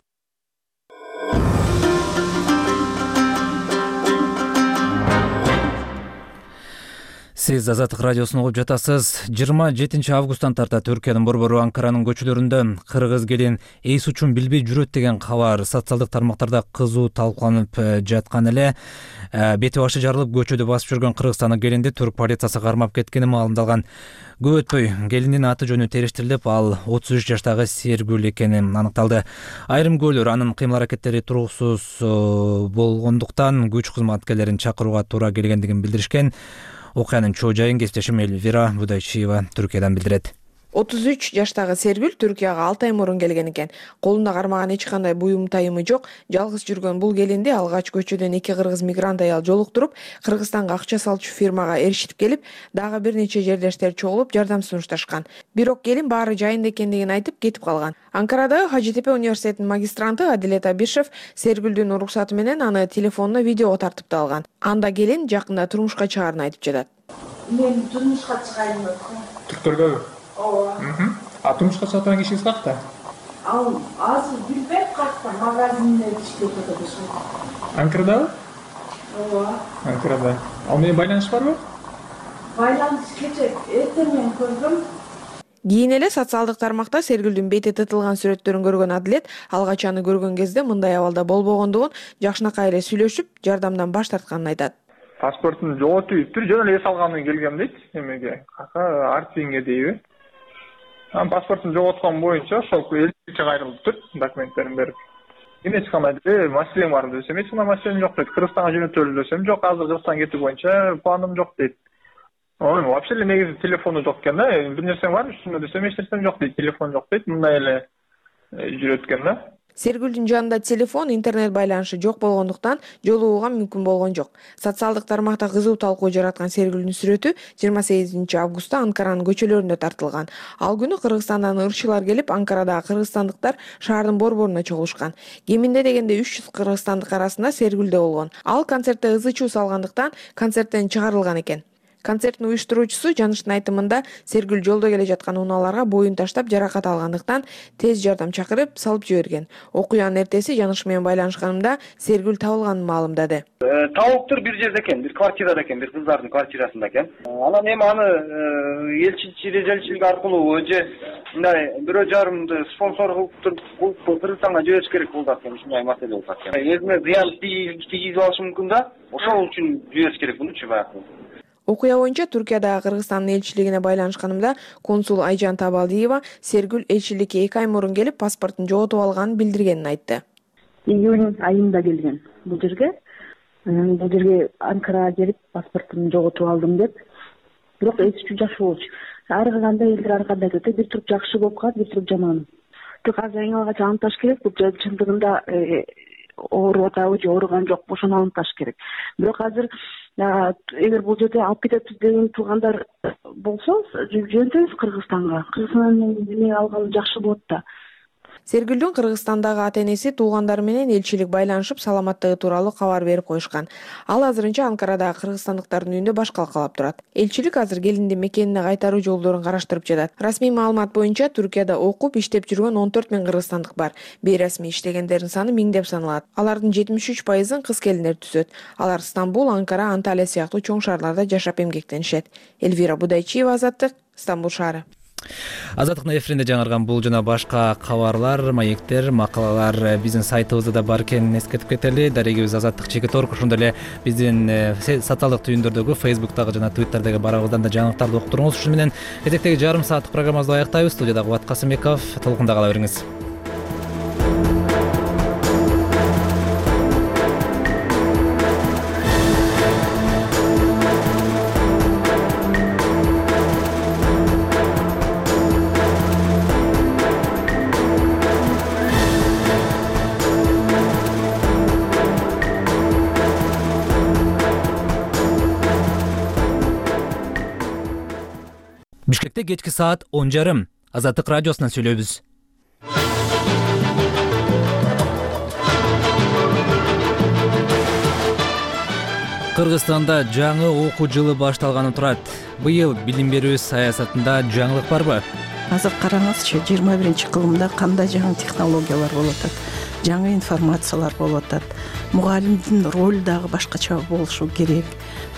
Сиз Азаттык радиосун угуп жатасыз. жыйырма жетинчи августтан тарта Түркиянын борбору Анкаранын көчөлөрүндө кыргыз келин эс учун билбей жүрөт деген кабар социалдык тармактарда кызуу талкууланып жаткан эле. Бети башы жарылып көчөдө басып жүргөн кыргызстандык келинди түрк полициясы кармап кеткени маалымдалган. Көп өтпөй келиндин аты жөнү териштирилип, ал отуз үч жаштагы Сергүл экени аныкталды. Айрым күбөлөр анын кыймыл-аракеттери туруксуз болгондуктан күч кызматкерлерин чакырууга туура келгендигин билдиришкен. Окуянын чоо жайын кесиптешим Элвира Будайчиева Түркиядан билдирет. отуз үч жаштагы Сергүл Түркияга алты ай мурун келген экен. Колунда кармаган эч кандай буюм тайымы жок. Жалгыз жүргөн бул келинди алгач көчөдөн эки кыргыз мигрант аял жолуктуруп, Кыргызстанга акча салчу фирмага эришип келип, дагы бир нече жердештер чогулуп жардам сунушташкан. Бирок келин баары жайында экендигин айтып кетип калган. Анкарадагы Хажитепе университетинин магистранты Адилет Абишев Сергүлдүн уруксаты менен аны телефонуна видеого тартып да алган. Анда келин жакында турмушка чыгаарын айтып жатат. Мен турмушка чыгайын деп. Түркөлгөбү? Ооба. А турмушка чыгатын кишиңиз каякта? Ал азыр билбейм каякта, магазинде иштеп жатат. Анкарадабы? Ооба. Анкарада. Ал менен байланыш барбы? Байланыш кече эртең менен көрдүм. Кийин эле социалдык тармакта Сергүлдүн бети тытылган сүрөттөрүн көргөн Адилет алгач аны көргөн кезде мындай абалда болбогондугун, жакшынакай эле сүйлөшүп, жардамдан баш тартканын айтат. Паспортун жоготуптур, жөн эле эс алгандан келгем дейт. Эмеге, Артвинге дейби. Анан паспортун жоготкон боюнча ошол элчиликке кайрылыптыр, документтерин берип. Мен эч кандай деле маселем бар десем, эч кандай маселем жок дейт. Кыргызстанга жөнөтөлү десем, жок, азыр Кыргызстанга кетүү боюнча планым жок дейт. Ой, вообще эле негизи телефону жок экен да. Бир нерсең бар үстүндө десем, эч нерсем жок дейт. Телефон жок дейт. Мындай эле жүрөт экен да. Сергүлдүн жанында телефон, интернет байланышы жок болгондуктан жолугууга мүмкүн болгон жок. Социалдык тармакта кызуу талкуу жараткан Сергүлдүн сүрөтү жыйырма сегизинчи августта Анкаранын көчөлөрүндө тартылган. Ал күнү Кыргызстандан ырчылар келип, Анкарадагы кыргызстандыктар шаардын борборуна чогулушкан. Кеминде дегенде үч жүз кыргызстандык арасында Сергүл да болгон. Ал концертте ызы чуу салгандыктан концерттен чыгарылган экен. Концерттин уюштуруучусу Жаныштын айтымында Сергүл жолдо келе жаткан унааларга боюн таштап жаракат алгандыктан тез жардам чакырып салып жиберген. Окуянын эртеси Жаныш менен байланышканымда Сергүл табылганын маалымдады. Табылыптыр, бир жерде экен, бир квартирада экен, бир кыздардын квартирасында экен. Анан эми аны элчилик элчилик аркылуу же мындай бирөө жарымды спонсор кылып Кыргызстанга жибериш керек болду экен, ушундай маселе болду экен. Өзүнө зыян тийгизип алышы мүмкүн да, ошол үчүн жибериш керек мунучу баягы. Окуя боюнча Түркиядагы Кыргызстандын элчилигине байланышканымда консул Айжан Табалдиева Сергүл элчиликке эки ай мурун келип паспортун жоготуп алганын билдиргенин айтты. Июнь айында келген бул жерге. Бул жерге Анкарага келип паспортумду жоготуп алдым деп. Бирок эч үчүн жакшы болчу. Ар кандай элдер ар кандай айтат, бир туруп жакшы болуп калат, бир туруп жаман. Тек азыр эң алгач аныкташ керек, бул чындыгында ооруп атабы же ооруган жокпу, ошону аныкташ керек. Бирок азыр эгер бул жерде алып кетебиз деген туугандар болсо, жөнөтөбүз Кыргызстанга. Кыргызстандан эме алган жакшы болот да. Сергүлдүн Кыргызстандагы ата-энеси туугандары менен элчилик байланышып, саламаттыгы тууралуу кабар берип коюшкан. Ал азырынча Анкарадагы кыргызстандыктардын үйүндө баш калкалап турат. Элчилик азыр келиндин мекенине кайтаруу жолдорун караштырып жатат. Расмий маалымат боюнча Түркияда окуп, иштеп жүргөн он төрт миң кыргызстандык бар. Бейрасмий иштегендердин саны миңдеп саналат. Алардын жетимиш үч пайызын кыз келиндер түзөт. Алар Стамбул, Анкара, Анталия сыяктуу чоң шаарларда жашап эмгектенишет. Элвира Будайчиева, Азаттык, Стамбул шаары. Азаттыктын эфиринде жаңырган бул жана башка кабарлар, маектер, макалалар биздин сайтыбызда да бар экенин эскертип кетели. Дарегибиз Азаттык чекит орг, ошондой эле биздин социалдык түйүндөрдөгү, Facebook'тагы жана Twitter'деги барабыздан да жаңылыктарды окуп туруңуз. Ушуну менен кезектеги жарым сааттык программабызды аяктайбыз. Студияда Кубат Касымбеков, толкунда кала бериңиз. Бишкекте кечки саат он жарым. Азаттык радиосунан сүйлөйбүз. Кыргызстанда жаңы окуу жылы башталганы турат. Быйыл билим берүү саясатында жаңылык барбы? Азыр караңызчы, жыйырма биринчи кылымда кандай жаңы технологиялар болуп атат, жаңы информациялар болуп атат. Мугалимдин ролу дагы башкача болушу керек.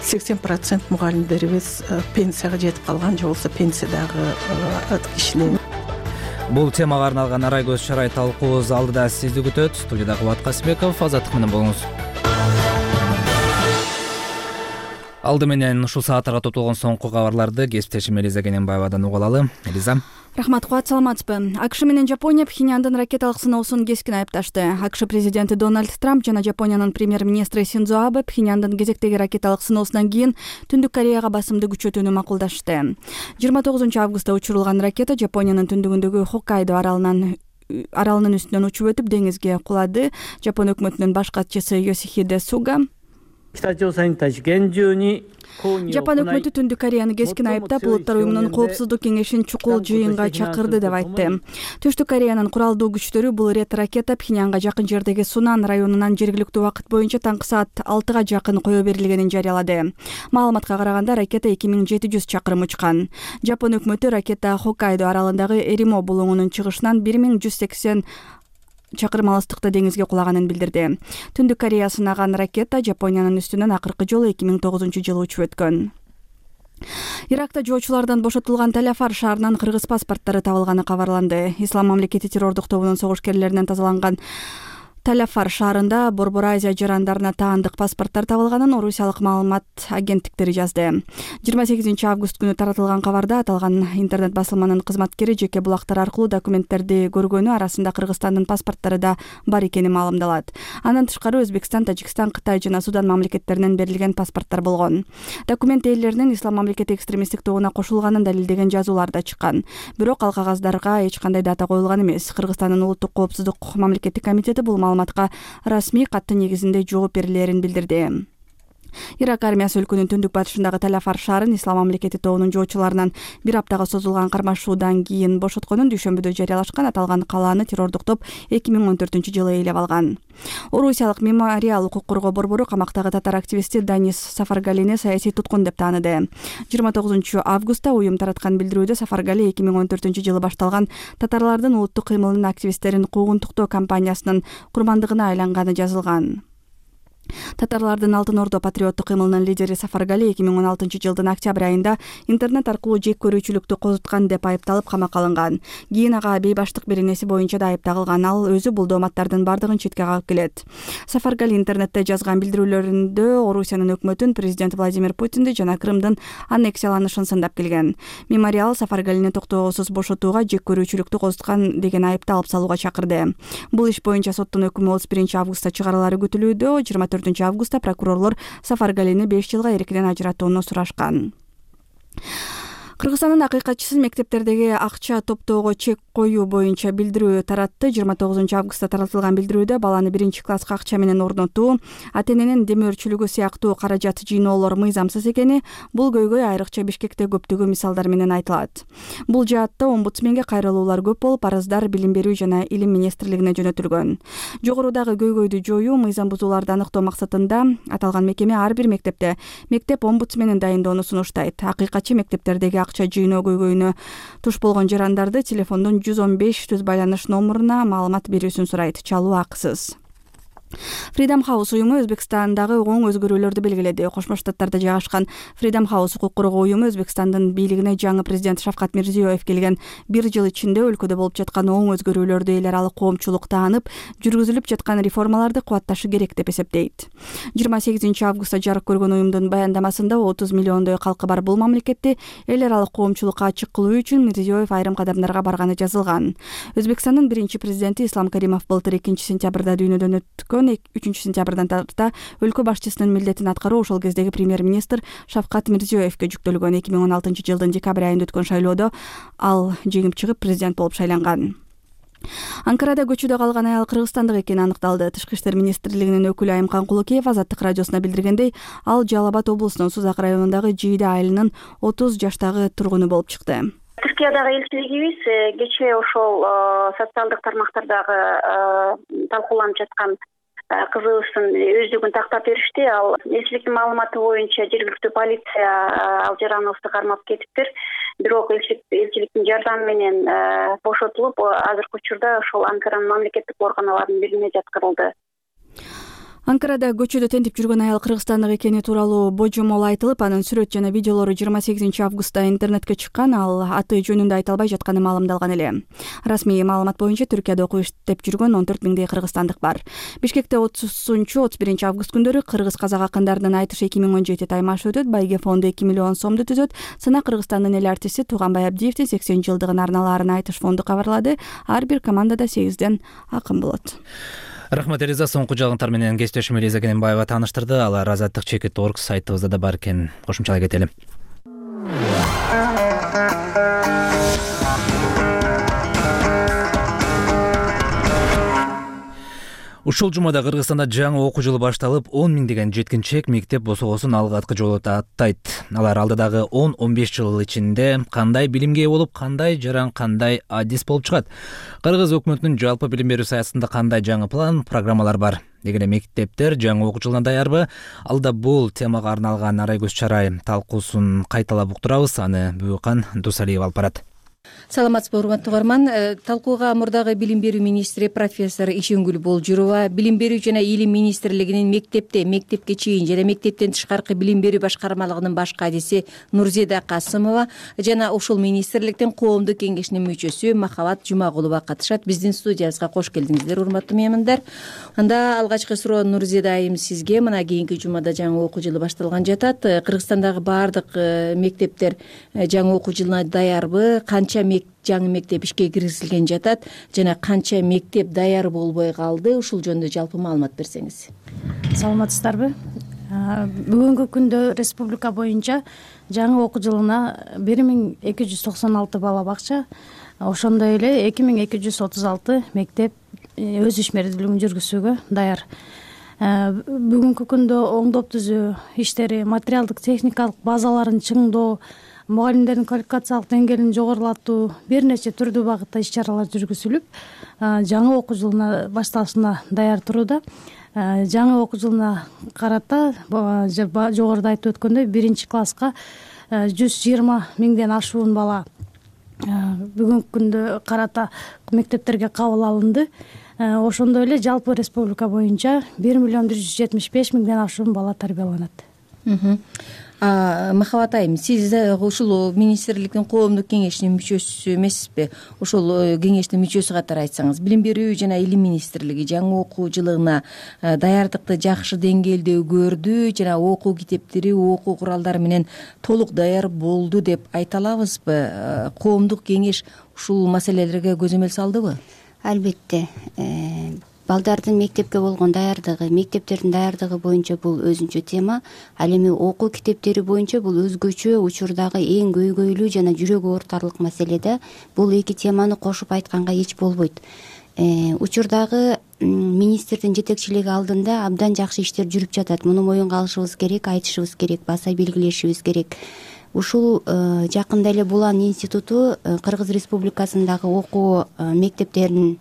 сексен процент мугалимдерибиз пенсияга жетип калган, же болбосо пенсиядагы кишилер. Бул темага арналган арай көз чарай талкуубуз алдыда сизди күтөт. Студияда Кубат Касымбеков, Азаттык менен болуңуз. Алды менен ушул сааттарга топтолгон соңку кабарларды кесиптешим Элиза Кененбаевадан угуп алалы. Элиза. Рахмат, Кубат, саламатсызбы? АКШ менен Жапония Пхеньяндын ракеталык сыноосун кескин айыпташты. АКШ президенти Дональд Трамп жана Жапониянын премьер-министри Синдзо Абе Пхеньяндын кезектеги ракеталык сыноосунан кийин Түндүк Кореяга басымды күчөтүүнү макулдашты. жыйырма тогузунчу августта учурулган ракета Жапониянын түндүгүндөгү Хоккайдо аралынан аралынын үстүнөн учуп өтүп деңизге кулады. Жапон өкмөтүнүн баш катчысы Йосихиде Суга Жапон өкмөтү Түндүк Кореяны кескин айыптап, Улуттар уюмунун коопсуздук кеңешин чукул жыйынга чакырды деп айтты. Түштүк Кореянын куралдуу күчтөрү бул рет ракета Пхеньянга жакын жердеги Сунан районунан жергиликтүү убакыт боюнча таңкы саат алтыга жакын кое берилгенин жарыялады. Маалыматка караганда ракета эки миң жети жүз чакырым учкан. Жапон өкмөтү ракета Хоккайдо аралындагы Эримо булуңунун чыгышынан бир миң жүз сексен чакырым алыстыкта деңизге кулаганын билдирди. Түндүк Корея сынаган ракета Жапониянын үстүнөн акыркы жолу эки миң тогузунчу жылы учуп өткөн. Иракта жоочулардан бошотулган Талафар шаарынан кыргыз паспорттары табылганы кабарланды. Ислам мамлекети террордук тобунун согушкерлеринен тазаланган Талафар шаарында Борбор Азия жарандарына таандык паспорттар табылганын орусиялык маалымат агенттиктери жазды. жыйырма сегизинчи август күнү таратылган кабарда аталган интернет басылманын кызматкери жеке булактар аркылуу документтерди көргөнү арасында Кыргызстандын паспорттары да бар экени маалымдалат. Андан тышкары Өзбекстан, Тажикстан, Кытай жана Судан мамлекеттеринен берилген паспорттар болгон. Документ ээлеринин Ислам мамлекети экстремисттик тобуна кошулганын далилдеген жазуулар да чыккан. Бирок ал кагаздарга эч кандай дата коюлган эмес. Кыргызстандын улуттук коопсуздук мамлекеттик комитети бул маалыматка расмий катты негизинде жооп берилерин билдирди. Ирак армиясы өлкөнүн түндүк батышындагы Талафар шаарын Ислам мамлекети тобунун жоочуларынан бир аптага созулган кармашуудан кийин бошотконун дүйшөмбүдө жарыялашкан. Аталган калааны террордук топ эки миң он төртүнчү жылы ээлеп алган. Орусиялык Мемориал укук коргоо борбору камактагы татар активисти Данис Сафаргалини саясий туткун деп тааныды. жыйырма тогузунчу августта уюм тараткан билдирүүдө Сафаргали эки миң он төртүнчү жылы башталган татарлардын улуттук кыймылынын активисттерин куугунтуктоо кампаниясынын курмандыгына айланганы жазылган. Татарлардын Алтын Ордо патриоттук кыймылынын лидери Сафаргали эки миң он алтынчы жылдын октябрь айында интернет аркылуу жек көрүүчүлүктү козуткан деп айыпталып камакка алынган. Кийин ага бейбаштык беренеси боюнча да айып тагылган. Ал өзү бул дооматтардын бардыгын четке кагып келет. Сафаргали интернетте жазган билдирүүлөрүндө Орусиянын өкмөтүн, президент Владимир Путинди жана Крымдын аннексияланышын сындап келген. Мемориал Сафаргалини токтоосуз бошотууга, жек көрүүчүлүктү козуткан деген айыпты алып салууга чакырды. Бул иш боюнча соттун өкүмү отуз биринчи августта чыгарылары күтүлүүдө. жыйырма төртүнчү августта прокурорлор Сафаргалини беш жылга эркинен ажыратууну сурашкан. Кыргызстандын акыйкатчысы мектептердеги акча топтоого чек коюу боюнча билдирүү таратты. жыйырма тогузунчу августта таратылган билдирүүдө баланы биринчи класска акча менен орнотуу, ата-эненин демөөрчүлүгү сыяктуу каражат жыйноолор мыйзамсыз экени, бул көйгөй айрыкча Бишкекте көптөгөн мисалдар менен айтылат. Бул жаатта омбудсменге кайрылуулар көп болуп, арыздар Билим берүү жана Илим министрлигине жөнөтүлгөн. Жогорудагы көйгөйдү жоюу, мыйзам бузууларды аныктоо максатында аталган мекеме ар бир мектепте мектеп омбудсменин дайындоону сунуштайт. Акыйкатчы мектептердеги акча жыйноо көйгөйүнө туш болгон жарандарды телефондон жүз он беш түз байланыш номуруна маалымат берүүсүн сурайт. Чалуу акысыз. Freedom House уюму Өзбекстандагы оң өзгөрүүлөрдү белгиледи. Кошмо Штаттарда жайгашкан Freedom House укук коргоо уюму Өзбекстандын бийлигине жаңы президент Шавкат Мирзиёев келген бир жыл ичинде өлкөдө болуп жаткан оң өзгөрүүлөрдү эл аралык коомчулук таанып, жүргүзүлүп жаткан реформаларды кубатташы керек деп эсептейт. жыйырма сегизинчи августта жарык көргөн уюмдун баяндамасында отуз миллиондой калкы бар бул мамлекетти эл аралык коомчулукка ачык кылуу үчүн Мирзиёев айрым кадамдарга барганы жазылган. Өзбекстандын биринчи президенти Ислам Каримов былтыр экинчи сентябрда дүйнөдөн өткөн үчүнчү сентябрдан тарта өлкө башчысынын милдетин аткаруу ошол кездеги премьер-министр Шавкат Мирзиёевке жүктөлгөн. эки миң он алтынчы жылдын декабрь айында өткөн шайлоодо ал жеңип чыгып президент болуп шайланган. Анкарада көчүдө калган аял кыргызстандык экени аныкталды. Тышкы иштер министрлигинин өкүлү Айымкан Кулукеев Азаттык радиосуна билдиргендей, ал Жалал Абад облусунун Сузак районундагы Жийде айылынын отуз жаштагы тургуну болуп чыкты. Түркиядагы элчилигибиз кечээ ошол социалдык тармактардагы талкууланып жаткан кызыбыздын өздүгүн тактап беришти. Ал элчиликтин маалыматы боюнча жергиликтүү полиция ал жараныбызды кармап кетиптир. Бирок элчиликтин жардамы менен бошотулуп, азыркы учурда ошол Анкаранын мамлекеттик оорганаларынын бирине жаткырылды. Анкарада көчөдө тентип жүргөн аял кыргызстандык экени тууралуу божомол айтылып, анын сүрөт жана видеолору жыйырма сегизинчи августта интернетке чыккан. Ал аты жөнүндө айта албай жатканы маалымдалган эле. Расмий маалымат боюнча Түркияда окуп иштеп жүргөн он төрт миңдей кыргызстандык бар. Бишкекте отузунчу отуз биринчи август күндөрү кыргыз-казак акындарынын айтышы эки миң он жети таймашы өтөт. Байге фонду эки миллион сомду түзөт. Сына Кыргызстандын эл артисти Тууганбай Абдиевдин сексен жылдыгын арналаарын айтыш фонду кабарлады. Ар бир командада сегизден акын болот. Рахмат Элиза, соңку жаңылыктар менен кесиптешим Элиза Кененбаева тааныштырды. Алар азаттык чекит точка орг сайтыбызда да бар экен. Кошумчалай кетели. Ушул жумада Кыргызстанда жаңы окуу жылы башталып, он миңдеген жеткинчек мектеп босогосун алгачкы жолу аттайт. Алар алдыдагы он он беш жыл ичинде кандай билимге ээ болуп, кандай жаран, кандай адис болуп чыгат? Кыргыз өкмөтүнүн жалпы билим берүү саясатында кандай жаңы план, программалар бар? Эгер мектептер жаңы окуу жылына даярбы? Алда бул темага арналган Арай көз чарай талкуусун кайталап уктурабыз. Аны Бүкан Дусалиев алып барат. Саламатсызбы, урматтуу угарман. Талкууга мурдагы билим берүү министри профессор Ишенгүл Болжурова, билим берүү жана илим министрлигинин мектепте, мектепке чейин жана мектептен тышкаркы билим берүү башкармалыгынын баш кадиси Нурзеда Касымова жана ушул министрликтин коомдук кеңешинин мүчөсү Махабат Жумагулова катышат. Биздин студиябызга кош келдиңиздер, урматтуу меймандар. Анда алгачкы суроо Нурзеда айым сизге. Мына кийинки жумада жаңы окуу жылы башталган жатат. Кыргызстандагы баардык мектептер жаңы окуу жылына даярбы? Канча жаңы мектеп ишке киргизилген жатат жана канча мектеп даяр болбой калды? Ушул жөнүндө жалпы маалымат берсеңиз. Саламатсыздарбы? Бүгүнкү күндө республика боюнча жаңы окуу жылына бир миң эки жүз токсон алты бала бакча, ошондой эле эки миң эки жүз отуз алты мектеп өз ишмердүүлүгүн жүргүзүүгө даяр. Бүгүнкү күндө оңдоп түзүү иштери, материалдык техникалык базаларын чыңдоо, мугалимдердин квалификациялык деңгээлин жогорулатуу, бир нече түрдүү багытта иш чаралар жүргүзүлүп, жаңы окуу жылына башталышына даяр турууда. Жаңы окуу жылына карата жогоруда айтып өткөндөй биринчи класска жүз жыйырма миңден ашуун бала бүгүнкү күндө карата мектептерге кабыл алынды. Ошондой эле жалпы республика боюнча бир миллион бир жүз жетимиш беш миңден ашуун бала тарбияланат. Махабат айым, сиз ушул министрликтин коомдук кеңешинин мүчөсү эмессизби? Ошол кеңештин мүчөсү катары айтсаңыз, билим берүү жана илим министрлиги жаңы окуу жылына даярдыкты жакшы деңгээлде көрдү жана окуу китептери, окуу куралдары менен толук даяр болду деп айта алабызбы? Коомдук кеңеш ушул маселелерге көзөмөл салдыбы? Албетте. балдардын мектепке болгон даярдыгы, мектептердин даярдыгы боюнча бул өзүнчө тема. Ал эми окуу китептери боюнча бул өзгөчө учурдагы эң көйгөйлүү жана жүрөк оорутарлык маселе да. Бул эки теманы кошуп айтканга эч болбойт. Учурдагы министрдин жетекчилиги алдында абдан жакшы иштер жүрүп жатат. Муну моюнга алышыбыз керек, айтышыбыз керек, баса белгилешибиз керек. Ушул жакында эле Булан институту Кыргыз Республикасындагы окуу мектептеринин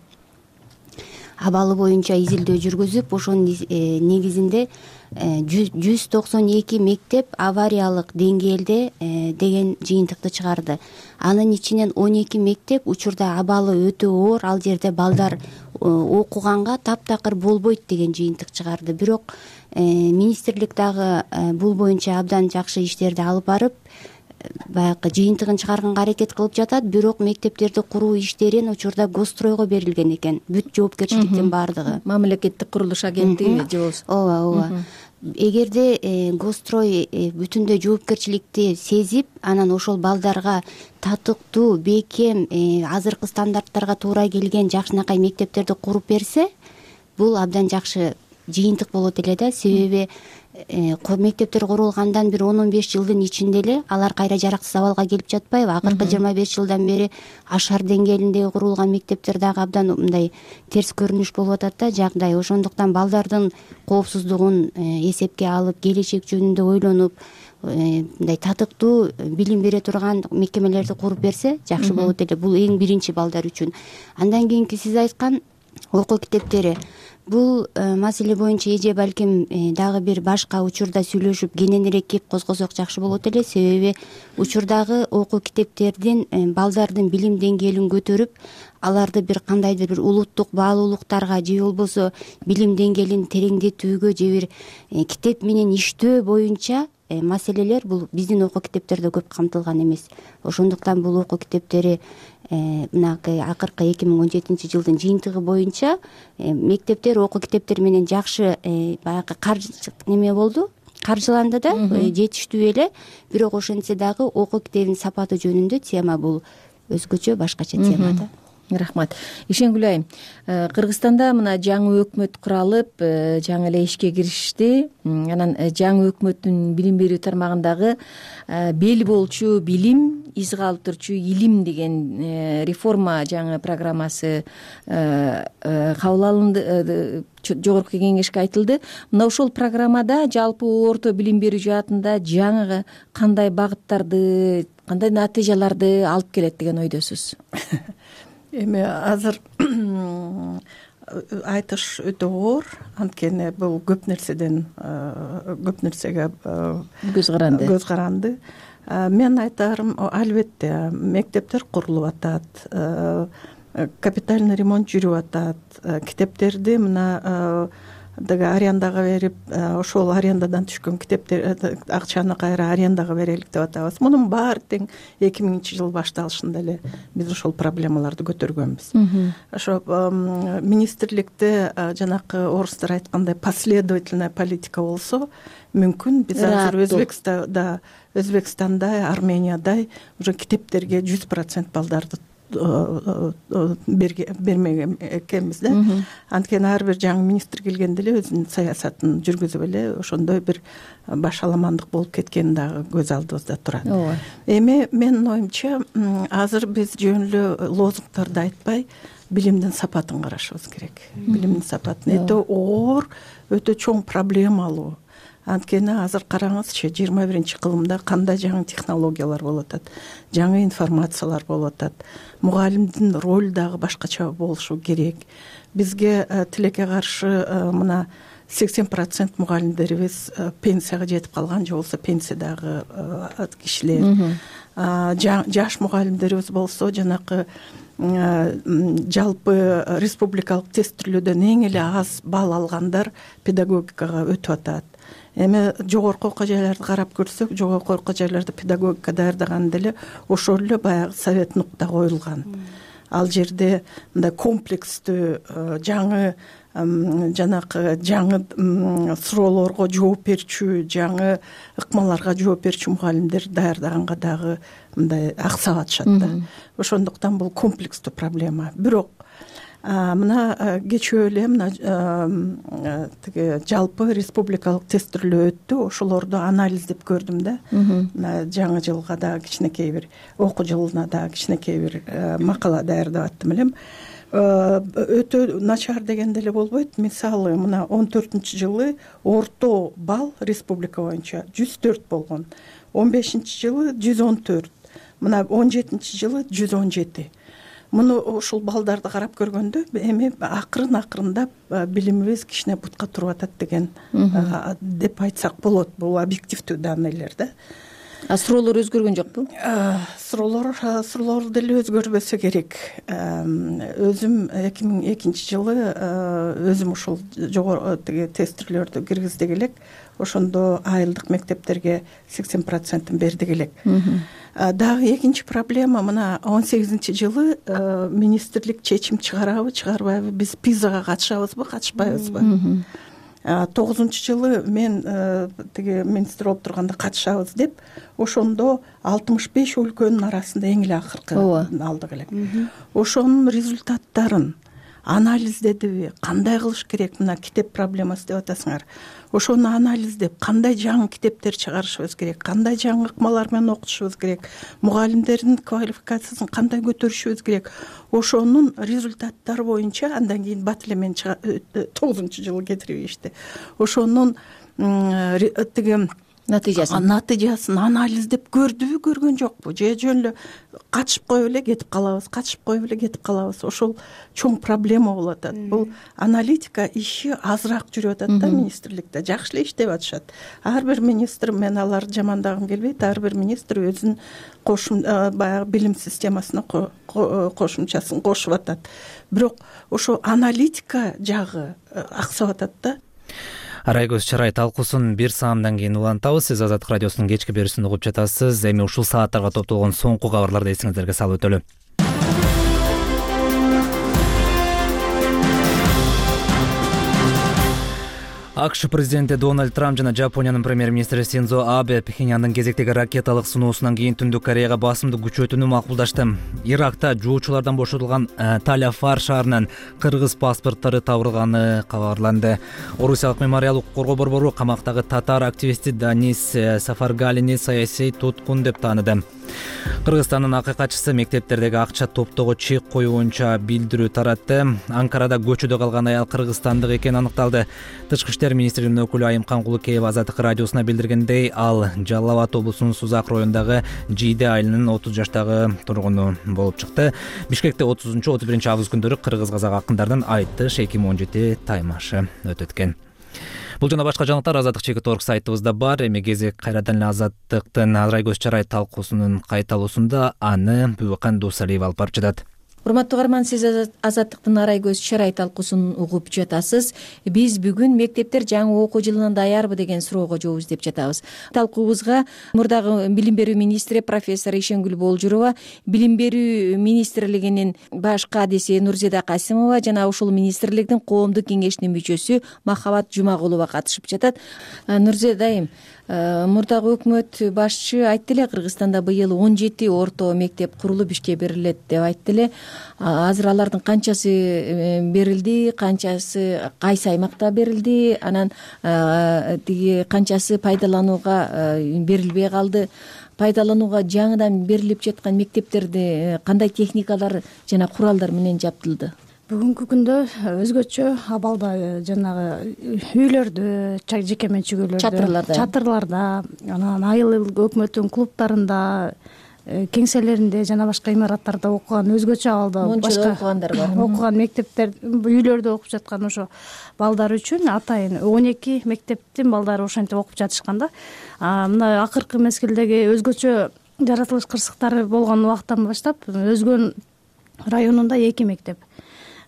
абалы боюнча изилдөө жүргүзүп, ошонун негизинде жүз токсон эки мектеп авариялык деңгээлде деген жыйынтыкты чыгарды. Анын ичинен он эки мектеп учурда абалы өтө оор, ал жерде балдар окуганга таптакыр болбойт деген жыйынтык чыгарды. Бирок министрлик дагы бул боюнча абдан жакшы иштерди алып барып, баягы жыйынтыгын чыгарганга аракет кылып жатат. Бирок мектептерди куруу иштерин учурда Госстройго берилген экен. Бүт жоопкерчиликтин баардыгы. Мамлекеттик курулуш агенттиги же болбосо. Ооба, ооба. Эгерде Госстрой бүтүндөй жоопкерчиликти сезип, анан ошол балдарга татыктуу, бекем, азыркы стандарттарга туура келген жакшынакай мектептерди куруп берсе, бул абдан жакшы жыйынтык болот эле да. Себеби мектептер курулгандан бир он он беш жылдын ичинде эле алар кайра жараксыз абалга келип жатпайбы? Акыркы жыйырма беш жылдан бери ашар деңгээлинде курулган мектептер дагы абдан мындай терс көрүнүш болуп атат да жагдай. Ошондуктан балдардын коопсуздугун эсепке алып, келечек жөнүндө ойлонуп, мындай татыктуу билим бере турган мекемелерди куруп берсе жакшы болот эле. Бул эң биринчи балдар үчүн. Андан кийинки сиз айткан окуу китептери. Бул маселе боюнча эже балким дагы бир башка учурда сүйлөшүп кененирээк кеп козгосок жакшы болот эле. Себеби учурдагы окуу китептердин балдардын билим деңгээлин көтөрүп, аларды бир кандайдыр бир улуттук баалуулуктарга же болбосо билим деңгээлин тереңдетүүгө же бир китеп менен иштөө боюнча маселелер бул биздин окуу китептерде көп камтылган эмес. Ошондуктан бул окуу китептери мынакы акыркы эки миң он жетинчи жылдын жыйынтыгы боюнча мектептер окуу китептери менен жакшы баягы каржы неме болду, каржыланды да, жетиштүү эле. Бирок ошентсе дагы окуу китебинин сапаты жөнүндө тема бул өзгөчө, башкача тема да. Рахмат. Ишенгүл айым, Кыргызстанда мына жаңы өкмөт куралып, жаңы эле ишке киришти. Анан жаңы өкмөттүн билим берүү тармагындагы бел болчу билим, из калтырчу илим деген реформа жаңы программасы кабыл алынды, жогорку кеңешке айтылды. Мына ошол программада жалпы орто билим берүү жаатында жаңы кандай багыттарды, кандай натыйжаларды алып келет деген ойдосуз? Эми азыр айтыш өтө оор, анткени бул көп нерседен көп нерсеге көз каранды. Көз каранды. Мен айтарым, албетте мектептер курулуп атат, капитальный ремонт жүрүп атат, китептерди мына деги арендага берип, ошол арендадан түшкөн китептер акчаны кайра арендага берелик деп атабыз. Мунун баары тең эки миңинчи жыл башталышында эле биз ошол проблемаларды көтөргөнбүз. Ошо министрликте жанакы орустар айткандай последовательная политика болсо, мүмкүн биз азыр Өзбекстанда, Өзбекстандай, Армениядай уже китептерге жүз процент балдарды бермеген экенбиз да. Анткени ар бир жаңы министр келгенде эле өзүнүн саясатын жүргүзүп эле ошондой бир башаламандык болуп кеткени дагы көз алдыбызда турат. Эми менин оюмча азыр биз жөн эле лозунгтарды айтпай, билимдин сапатын карашыбыз керек. Билимдин сапатын өтө оор, өтө чоң проблемалуу. Анткени азыр караңызчы, жыйырма биринчи кылымда кандай жаңы технологиялар болуп атат, жаңы информациялар болуп атат. Мугалимдин ролу дагы башкача болушу керек. Бизге тилекке каршы мына сексен процент мугалимдерибиз пенсияга жетип калган, же болбосо пенсиядагы кишилер. Жаш мугалимдерибиз болсо жанакы жалпы республикалык тестирлөөдөн эң эле аз балл алгандар педагогикага өтүп атат. Эми жогорку окуу жайларды карап көрсөк, жогорку окуу жайларда педагогика даярдаганда эле ошол эле баягы совет нукта коюлган. Ал жерде мындай комплекстүү жаңы жанакы жаңы суроолорго жооп берчү, жаңы ыкмаларга жооп берчү мугалимдер даярдаганга дагы мындай аксап атышат да. Ошондуктан бул комплекстүү проблема. Бирок мына кечээ эле мына тиги жалпы республикалык тестирлөө өттү, ошолорду анализдеп көрдүм да. Мына жаңы жылга дагы кичинекей бир окуу жылына дагы кичинекей бир макала даярдап аттым элем. Өтө начар дегенде эле болбойт. Мисалы мына он төртүнчү жылы орто балл республика боюнча жүз төрт болгон, он бешинчи жылы жүз он төрт, мына он жетинчи жылы жүз он жети. Муну ушул балдарды карап көргөндө эми акырын акырындап билимибиз кичине бутка туруп атат деген деп айтсак болот. Бул объективдүү данныйлар да. А суроолор өзгөргөн жокпу? Суроолор суроолор деле өзгөрбөсө керек. Өзүм эки миң экинчи жылы өзүм ушул жогору тиги тестирлөрдү киргиздик элек. Ошондо айылдык мектептерге сексен процентин бердик элек. Дагы экинчи проблема мына он сегизинчи жылы министрлик чечим чыгарабы, чыгарбайбы, биз пизага катышабызбы, катышпайбызбы? тогузунчу жылы мен тиги министр болуп турганда катышабыз деп, ошондо алтымыш беш өлкөнүн арасында эң эле акыркы алдык элек. Ошонун результаттарын анализдедиби, кандай кылыш керек, мына китеп проблемасы деп атасыңар. Ошону анализдеп, кандай жаңы китептер чыгарышыбыз керек, кандай жаңы ыкмалар менен окутушубуз керек, мугалимдердин квалификациясын кандай көтөрүшүбүз керек. Ошонун результаттары боюнча андан кийин бат эле мен тогузунчу жылы кетирбейишти. Ошонун тиги натыйжасын натыйжасын анализдеп көрдүбү, көргөн жокпу, же жөн эле катышып коюп эле кетип калабыз, катышып коюп эле кетип калабыз. Ошол чоң проблема болуп атат. Бул аналитика иши азыраак жүрүп атат да министрликте. Жакшы эле иштеп атышат. Ар бир министр, мен аларды жамандагым келбейт, ар бир министр өзүнүн кошум баягы билим системасына кошумчасын кошуп атат. Бирок ошо аналитика жагы аксап атат да. Арайгөз чарай талкуусун бир саамдан кийин улантабыз. Сиз Азаттык радиосунун кечки берүүсүн угуп жатасыз. Эми ушул сааттарга топтолгон соңку кабарларды эсиңиздерге салып өтөлү. АКШ президенти Дональд Трамп жана Жапониянын премьер-министри Синдзо Абе Пхеньяндын кезектеги ракеталык сыноосунан кийин Түндүк Кореяга басымды күчөтүүнү макулдашты. Иракта жоочулардан бошотулган Талафар шаарынан кыргыз паспорттору табылганы кабарланды. Орусиялык мемориал укук коргоо борбору камактагы татар активисти Данис Сафаргалини саясий туткун деп тааныды. Кыргызстандын акыйкатчысы мектептердеги акча топтоого чек коюу боюнча билдирүү таратты. Анкарада көчөдө калган аял кыргызстандык экени аныкталды. Тышкы иштер министринин өкүлү Айымкан Кулукеева Азаттык радиосуна билдиргендей, ал Жалал Абад облусунун Сузак районундагы Жийде айылынын отуз жаштагы тургуну болуп чыкты. Бишкекте отузунчу отуз биринчи август күндөрү кыргыз-казак акындардын Айтыш эки миң он жети таймашы өтөт экен. Бул жана башка жаңылыктар Азаттык чекит орг сайтыбызда бар. Эми кезек кайрадан эле Азаттыктын Арайгөз чарай талкуусунун кайталуусунда аны Бүбөкан Дусалиева алып барып жатат. Урматтуу угарман, сиз Азаттыктын Арайгөз чарай талкуусун угуп жатасыз. Биз бүгүн мектептер жаңы окуу жылына даярбы деген суроого жооп издеп жатабыз. Талкуубузга мурдагы билим берүү министри профессор Ишенгүл Болжурова, билим берүү министрлигинин баш кадиси Нурзеда Касимова жана ушул министрликтин коомдук кеңешинин мүчөсү Махабат Жумагулова катышып жатат. Нурзеда айым, мурдагы өкмөт башчы айтты эле, Кыргызстанда быйыл он жети орто мектеп курулуп ишке берилет деп айтты эле. Азыр алардын канчасы берилди, канчасы кайсы аймакта берилди, анан тиги канчасы пайдаланууга берилбей калды? Пайдаланууга жаңыдан берилип жаткан мектептерди кандай техникалар жана куралдар менен жабдылды? Бүгүнкү күндө өзгөчө абалда жанагы үйлөрдө, жеке менчик үйлөрдө, чатырларда, чатырларда, анан айыл өкмөттүн клубтарында, кеңселеринде жана башка имараттарда окуган, өзгөчө абалда башка окугандар бар. Окуган мектептер, үйлөрдө окуп жаткан ошо балдар үчүн атайын он эки мектептин балдары ошентип окуп жатышкан да. Мына акыркы мезгилдеги өзгөчө жаратылыш кырсыктары болгон убакыттан баштап Өзгөн районунда эки мектеп,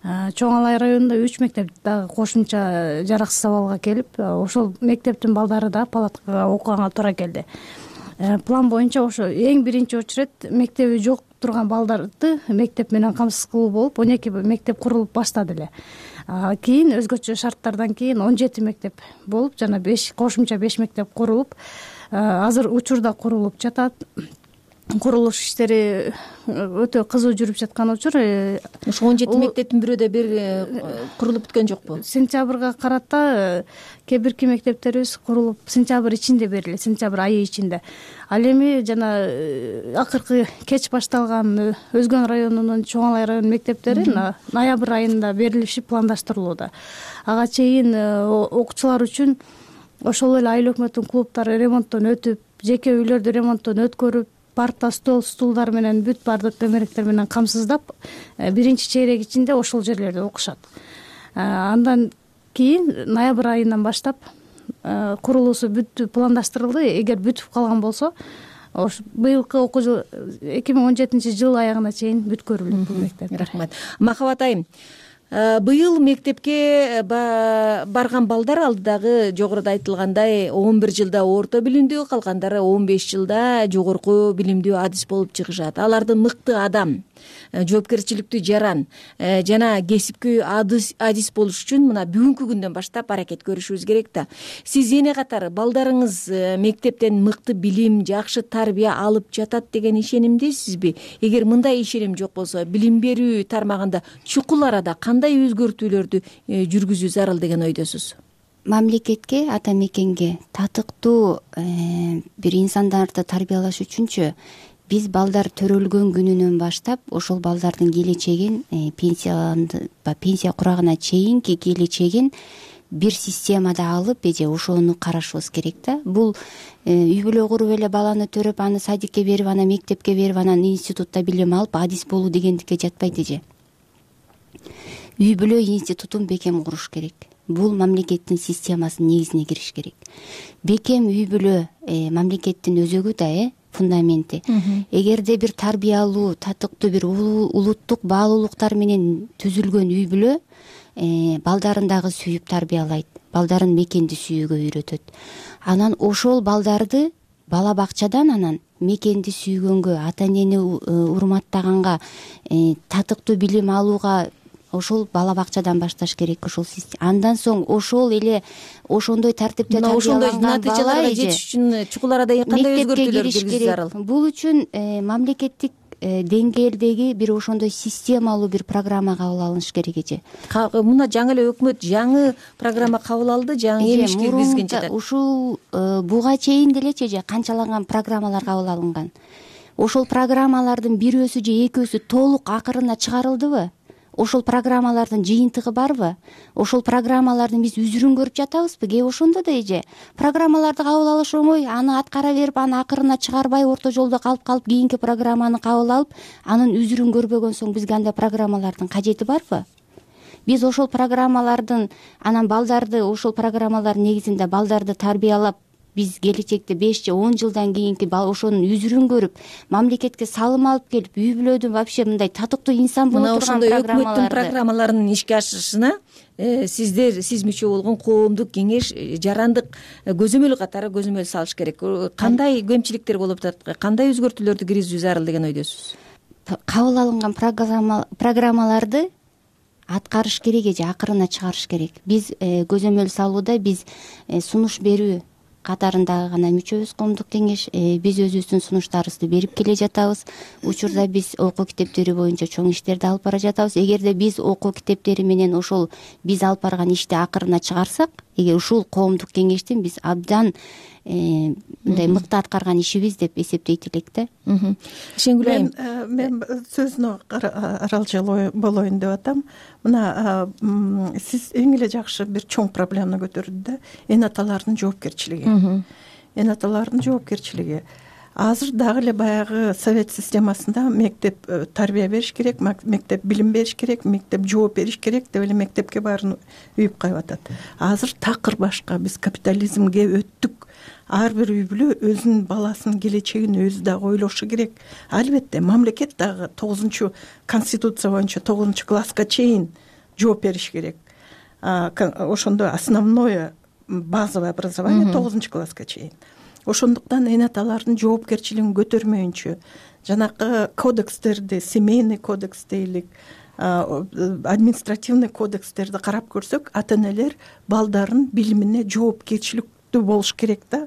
Чоң Алай районунда үч мектеп дагы кошумча жараксыз абалга келип, ошол мектептин балдары да палаткага окуганга туура келди. План боюнча ошо эң биринчи очередь мектеби жок турган балдарды мектеп менен камсыз кылуу болуп, он эки мектеп курулуп баштады эле. Кийин өзгөчө шарттардан кийин он жети мектеп болуп, жана беш кошумча беш мектеп курулуп, азыр учурда курулуп жатат. курулуш иштери өтө кызуу жүрүп жаткан учур. Ушу он жети мектептин бирөөдө бир курулуп бүткөн жокпу? Сентябрга карата кээ бирки мектептерибиз курулуп сентябрь ичинде берилет, сентябрь айы ичинде. Ал эми жана акыркы кеч башталган Өзгөн районунун Чоң Алай районунун мектептери ноябрь айында берилиши пландаштырылууда. Ага чейин окуучулар үчүн ошол эле айыл өкмөттүн клубдары ремонттон өтүп, жеке үйлөрдү ремонттон өткөрүп, парта, стол, стулдар менен бүт баардык төмөрөктөр менен камсыздап, биринчи чейрек ичинде ошол жерлерде окушат. Андан кийин ноябрь айынан баштап курулуусу бүт пландаштырылды. Эгер бүтүп калган болсо, быйылкы окуу жыл эки миң он жетинчи жыл аягына чейин бүткөрүлөт бул мектеп. Рахмат. Махабат айым, быйыл мектепке барган балдар алдыдагы жогоруда айтылгандай он бир жылда орто билимдүү, калгандары он беш жылда жогорку билимдүү адис болуп чыгышат. Аларды мыкты адам, жоопкерчиликтүү жаран жана кесипкөй адис болуш үчүн мына бүгүнкү күндөн баштап аракет көрүшүбүз керек да. Сиз эне катары балдарыңыз мектептен мыкты билим, жакшы тарбия алып жатат деген ишенимдесизби? Эгер мындай ишеним жок болсо, билим берүү тармагында чукул арада кандай өзгөртүүлөрдү жүргүзүү зарыл деген ойдосуз? Мамлекетке, ата мекенге татыктуу бир инсандарды тарбиялаш үчүнчү биз балдар төрөлгөн күнүнөн баштап ошол балдардын келечегин, пенсия курагына чейинки келечегин бир системада алып, эже ошону карашыбыз керек да. Бул үй бүлө куруп эле баланы төрөп, аны садикке берип, аны мектепке берип, анан институтта билим алып, адис болуу дегендикке жатпайт эже. Үй бүлө институтун бекем куруш керек. Бул мамлекеттин системасынын негизине кириш керек. Бекем үй бүлө мамлекеттин өзөгү да, э фундаменти. Эгерде бир тарбиялуу, татыктуу бир улуттук баалуулуктар менен түзүлгөн үй бүлө балдарын дагы сүйүп тарбиялайт, балдарын мекенди сүйүүгө үйрөтөт. Анан ошол балдарды бала бакчадан анан мекенди сүйгөнгө, ата энени урматтаганга, татыктуу билим алууга ошол бала бакчадан башташ керек. Ошол андан соң ошол эле ошондой тартипте тарбияланган бала натыйжаларга жетиш үчүн чукул арада кандай өзгөртүүлөр киргизүү зарыл? Бул үчүн мамлекеттик деңгээлдеги бир ошондой системалуу бир программа кабыл алыныш керек эже. Мына жаңы эле өкмөт жаңы программа кабыл алды, жаңы эмиш киргизген жатат. Ушул буга чейин делечи эже канчалаган программалар кабыл алынган. Ошол программалардын бирөөсү же экөөсү толук акырына чыгарылдыбы? Ошол программалардын жыйынтыгы барбы? Ошол программалардын биз үзүрүн көрүп жатабызбы? Кээ ошондо да эже программаларды кабыл алыш оңой, аны аткара берип, аны акырына чыгарбай, орто жолдо калып калып, кийинки программаны кабыл алып, анын үзүрүн көрбөгөн соң бизге андай программалардын кажети барбы? Биз ошол программалардын анан балдарды, ошол программалар негизинде балдарды тарбиялап, биз келечекте беш же он жылдан кийинки ошонун үзүрүн көрүп, мамлекетке салым алып келип, үй бүлөдүн вообще мындай татыктуу инсан боло турган программаларды, өкмөттүн программаларынын ишке ашышына сиздер, сиз мүчө болгон коомдук кеңеш, жарандык көзөмөл катары көзөмөл салыш керек. Кандай кемчиликтер болуп атат, кандай өзгөртүүлөрдү киргизүү зарыл деген ойдосуз? Кабыл алынган программаларды аткарыш керек эже, акырына чыгарыш керек. Биз көзөмөл салууда биз сунуш берүү катарындагы гана мүчөбүз коомдук кеңеш. Биз өзүбүздүн сунуштарыбызды берип келе жатабыз. Учурда биз окуу китептери боюнча чоң иштерди алып бара жатабыз. Эгерде биз окуу китептери менен ошол биз алып барган ишти акырына чыгарсак, эгер ушул коомдук кеңештин биз абдан мындай мыкты аткарган ишибиз деп эсептейт элек да. Шенгүл айым, мен сөзүнө аралжал болоюн деп атам. Мына сиз эң эле жакшы бир чоң проблеманы көтөрдү да, эн аталардын жоопкерчилиги. Эн аталардын жоопкерчилиги. Азыр дагы эле баягы совет системасында мектеп тарбия бериш керек, мектеп билим бериш керек, мектеп жооп бериш керек деп эле мектепке баарын үйүп кайып атат. Азыр такыр башка, биз капитализмге өттүк. Ар бир үй бүлө өзүнүн баласынын келечегин өзү дагы ойлошу керек. Албетте мамлекет дагы тогузунчу конституция боюнча тогузунчу класска чейин жооп бериш керек. Ошондо основное базовое образование тогузунчу класска чейин. Ошондуктан эн аталардын жоопкерчилигин көтөрмөйүнчө жанакы кодекстерди, семейный кодекс дейлик, административный кодекстерди карап көрсөк, ата энелер балдарын билимине жоопкерчиликтүү болуш керек да.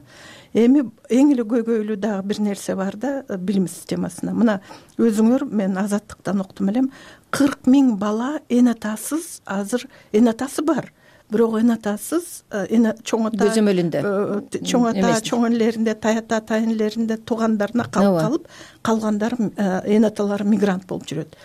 эми эң эле көйгөйлүү дагы бир нерсе бар да билим системасына. Мына өзүңөр, мен Азаттыктан уктум элем, кырк миң бала эне атасыз, азыр эне атасы бар, бирок эне атасыз, эне чоң ата көзөмөлүндө, чоң ата, чоң энелеринде, тай ата, тайнелеринде, туугандарына калып калып, калгандары эне аталары мигрант болуп жүрөт.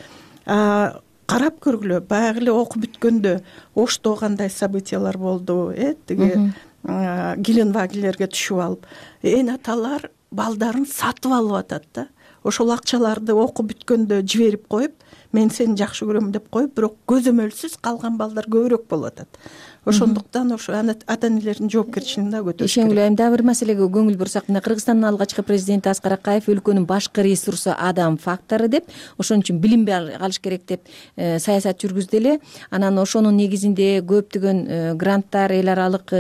Карап көргүлө, баягы эле окуп бүткөндө Ошто кандай событиялар болду, э, тиги Геленвагелерге түшүп алып, эне аталар балдарын сатып алып атат да. Ошол акчаларды окуп бүткөндө жиберип коюп, мен сени жакшы көрөм деп коюп, бирок көзөмөлсүз калган балдар көбүрөөк болуп атат. Ошондуктан ошо ата-энелердин жоопкерчилигин да көтөрүш керек. Ишенгүл айым, дагы бир маселеге көңүл бурсак, мына Кыргызстандын алгачкы президенти Аскар Акаев өлкөнүн башкы ресурсу адам фактору деп, ошон үчүн билимби алыш керек деп саясат жүргүздү эле. Анан ошонун негизинде көптөгөн гранттар, эл аралык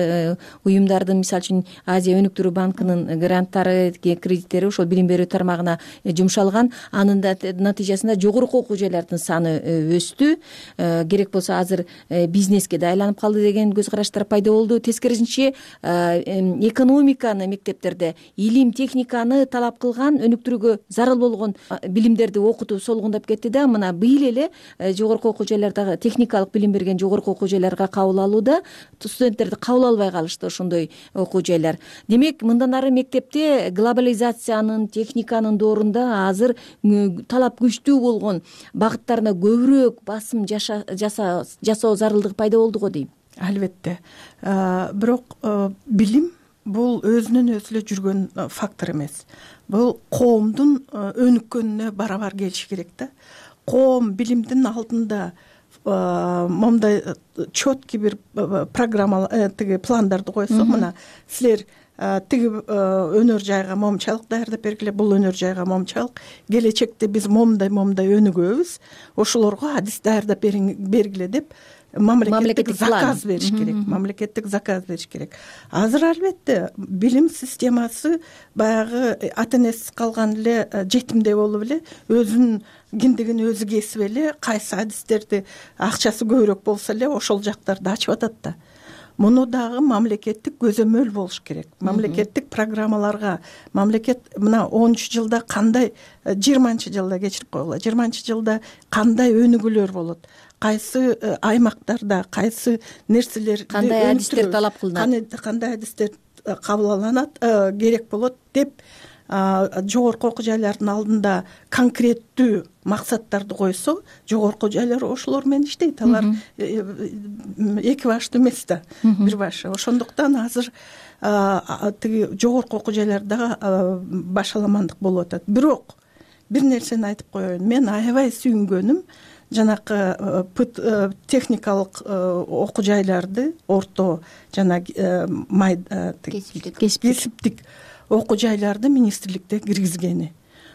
уюмдардын, мисалы үчүн Азия өнүктүрүү банкынын гранттары, кредиттери ошол билим берүү тармагына жумшалган. Анын да натыйжасында жогорку окуу жайлардын саны өстү. Керек болсо азыр бизнеске да айланып калды деген көз караштар пайда болду. Тескерисинче, экономиканы мектептерде, илим, техниканы талап кылган, өнүктүрүүгө зарыл болгон билимдерди окутуу солгундап кетти да. Мына быйыл эле жогорку окуу жайлардагы техникалык билим берген жогорку окуу жайларга кабыл алууда студенттерди кабыл албай калышты ошондой окуу жайлар. Демек, мындан ары мектепте глобализациянын, техниканын доорунда азыр талап күчтүү болгон багыттарына көбүрөөк басым жасоо зарылдыгы пайда болду го дейм. Албетте. Бирок билим бул өзүнөн өзү эле жүргөн фактор эмес. Бул коомдун өнүккөнүнө барабар келиши керек да. Коом билимдин алдында момундай четкий бир программа, тиги пландарды койсо, мына силер тиги өнөр жайга момчалык даярдап бергиле, бул өнөр жайга момчалык, келечекте биз момундай момундай өнүгөбүз, ошолорго адис даярдап бергиле деп мамлекеттик заказ бериш керек. Мамлекеттик заказ бериш керек. Азыр албетте билим системасы баягы ата-энесиз калган эле жетимдей болуп эле, өзүнүн киндигин өзү кесип эле, кайсы адистерди акчасы көбүрөөк болсо эле ошол жактарды ачып атат да. Муну дагы мамлекеттик көзөмөл болуш керек. Мамлекеттик программаларга, мамлекет мына онунчу жылда кандай, жыйырманчы жылда кечирип койгула, жыйырманчы жылда кандай өнүгүүлөр болот, кайсы аймактарда кайсы нерселер, кандай адистер талап кылынат, кандай адистер кабыл керек болот деп жогорку окуу жайлардын алдында конкреттүү максаттарды койсо, жогорку жайлар ошолор менен иштейт. Алар эки баштуу эмес да, бир башы. Ошондуктан азыр тиги жогорку окуу жайларда башаламандык болуп атат. Бирок бир нерсени айтып коеюн. Мен аябай сүйүнгөнүм жанакы техникалык окуу жайларды, орто жана кесиптик окуу жайларды министрликте киргизгени.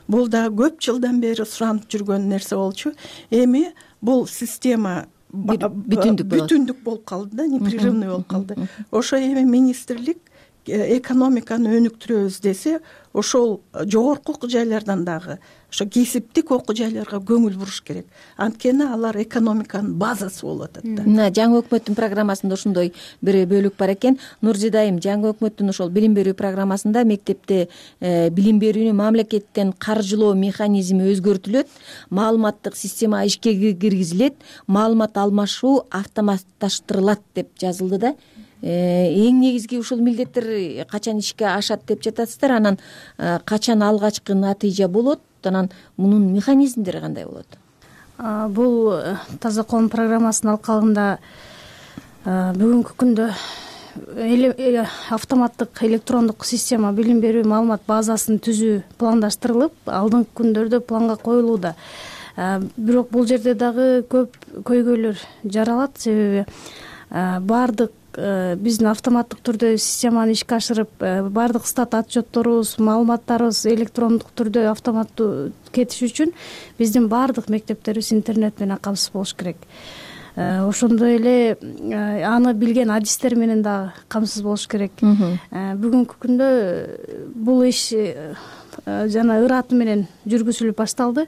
Бул да көп жылдан бери суранып жүргөн нерсе болчу. Эми бул система бүтүндүк болуп калды да, непрерывный болуп калды. Ошо эми министрлик экономиканы өнүктүрөбүз десе, ошол жогорку окуу жайлардан дагы ошо кесиптик окуу жайларга көңүл буруш керек. Анткени алар экономиканын базасы болуп атат да. Мына жаңы өкмөттүн программасында ошондой бир бөлүк бар экен. Нурзида айым, жаңы өкмөттүн ошол билим берүү программасында мектепте билим берүүнү мамлекеттен каржылоо механизми өзгөртүлөт, маалыматтык система ишке киргизилет, маалымат алмашуу автоматташтырылат деп жазылды да. Эң негизги ушул милдеттер качан ишке ашат деп жатасыздар, анан качан алгачкы натыйжа болот, анан мунун механизмдери кандай болот? Бул Таза коом программасынын алкагында бүгүнкү күндө автоматтык электрондук система билим берүү маалымат базасын түзүү пландаштырылып, алдыңкы күндөрдө планга коюлууда. Бирок бул жерде дагы көп көйгөйлөр жаралат, себеби баардык биздин автоматтык түрдө системаны ишке ашырып, баардык стат отчетторубуз, маалыматтарыбыз электрондук түрдө автоматтуу кетиш үчүн биздин баардык мектептерибиз интернет менен камсыз болуш керек. Ошондой эле аны билген адистер менен дагы камсыз болуш керек. Бүгүнкү күндө бул иш жана ыраты менен жүргүзүлүп башталды.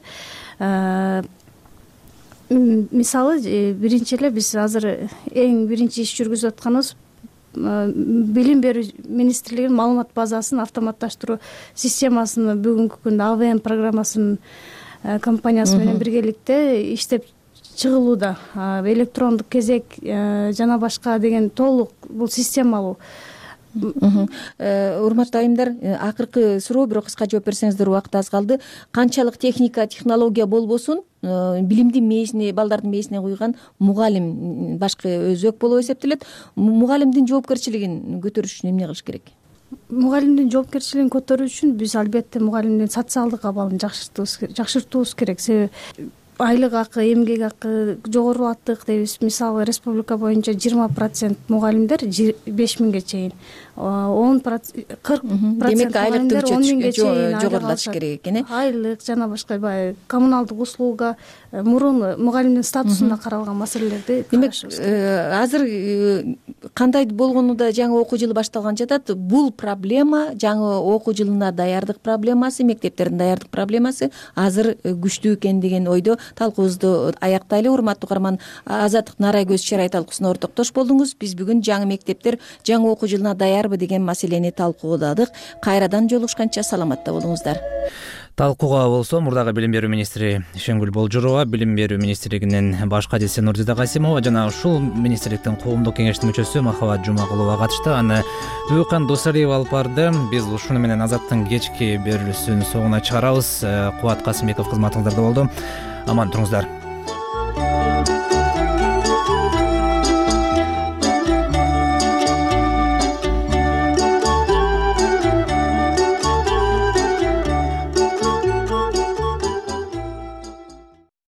Мисалы, биринчи эле биз азыр эң биринчи иш жүргүзүп атканыбыз билим берүү министрлигинин маалымат базасын автоматташтыруу системасын бүгүнкү күндө А В М программасынын компаниясы менен биргеликте иштеп чыгылууда. Электрондук кезек жана башка деген толук бул системалуу. Урматтуу айымдар, акыркы суроо, бирок кыска жооп берсеңиздер, убакыт аз калды. Канчалык техника, технология болбосун, билимдин мээсине, балдардын мээсине куйган мугалим башкы өзөк болуп эсептелет. Мугалимдин жоопкерчилигин көтөрүш үчүн эмне кылыш керек? Мугалимдин жоопкерчилигин көтөрүү үчүн биз албетте мугалимдин социалдык абалын жакшыртуубуз керек. Себеби айлык акы, эмгек акы жогорулаттык дейбиз. Мисалы, республика боюнча жыйырма процент мугалимдер беш миңге чейин, он процент кырк процент мугалимдер он миңге чейин жогорулатыш керек экен. Айлык жана башка баягы коммуналдык услуга, мурун мугалимдин статусуна каралган маселелерди карашыбыз керек. Азыр кандай болгону да жаңы окуу жылы башталган жатат. Бул проблема, жаңы окуу жылына даярдык проблемасы, мектептердин даярдык проблемасы азыр күчтүү экен деген ойдо талкуубузду аяктайлы. Урматтуу угарман, Азаттык Нарайкөз чарай талкуусуна ортоктош болдуңуз. Биз бүгүн жаңы мектептер жаңы окуу жылына даярбы деген маселени талкуудадык. Кайрадан жолугушканча саламатта болуңуздар. Талкууга болсо мурдагы билим берүү министри Ишенгүл Болжурова, билим берүү министрлигинин баш кадиси Нурзида Касимова жана ушул министрликтин коомдук кеңештин мүчөсү Махабат Жумагулова катышты. Аны Дүйкан Досалиев алып барды. Биз ушуну менен Азаттын кечки берүүлүсүн соңуна чыгарабыз. Кубат Касымбеков кызматыңыздарда болду. Аман туруңуздар.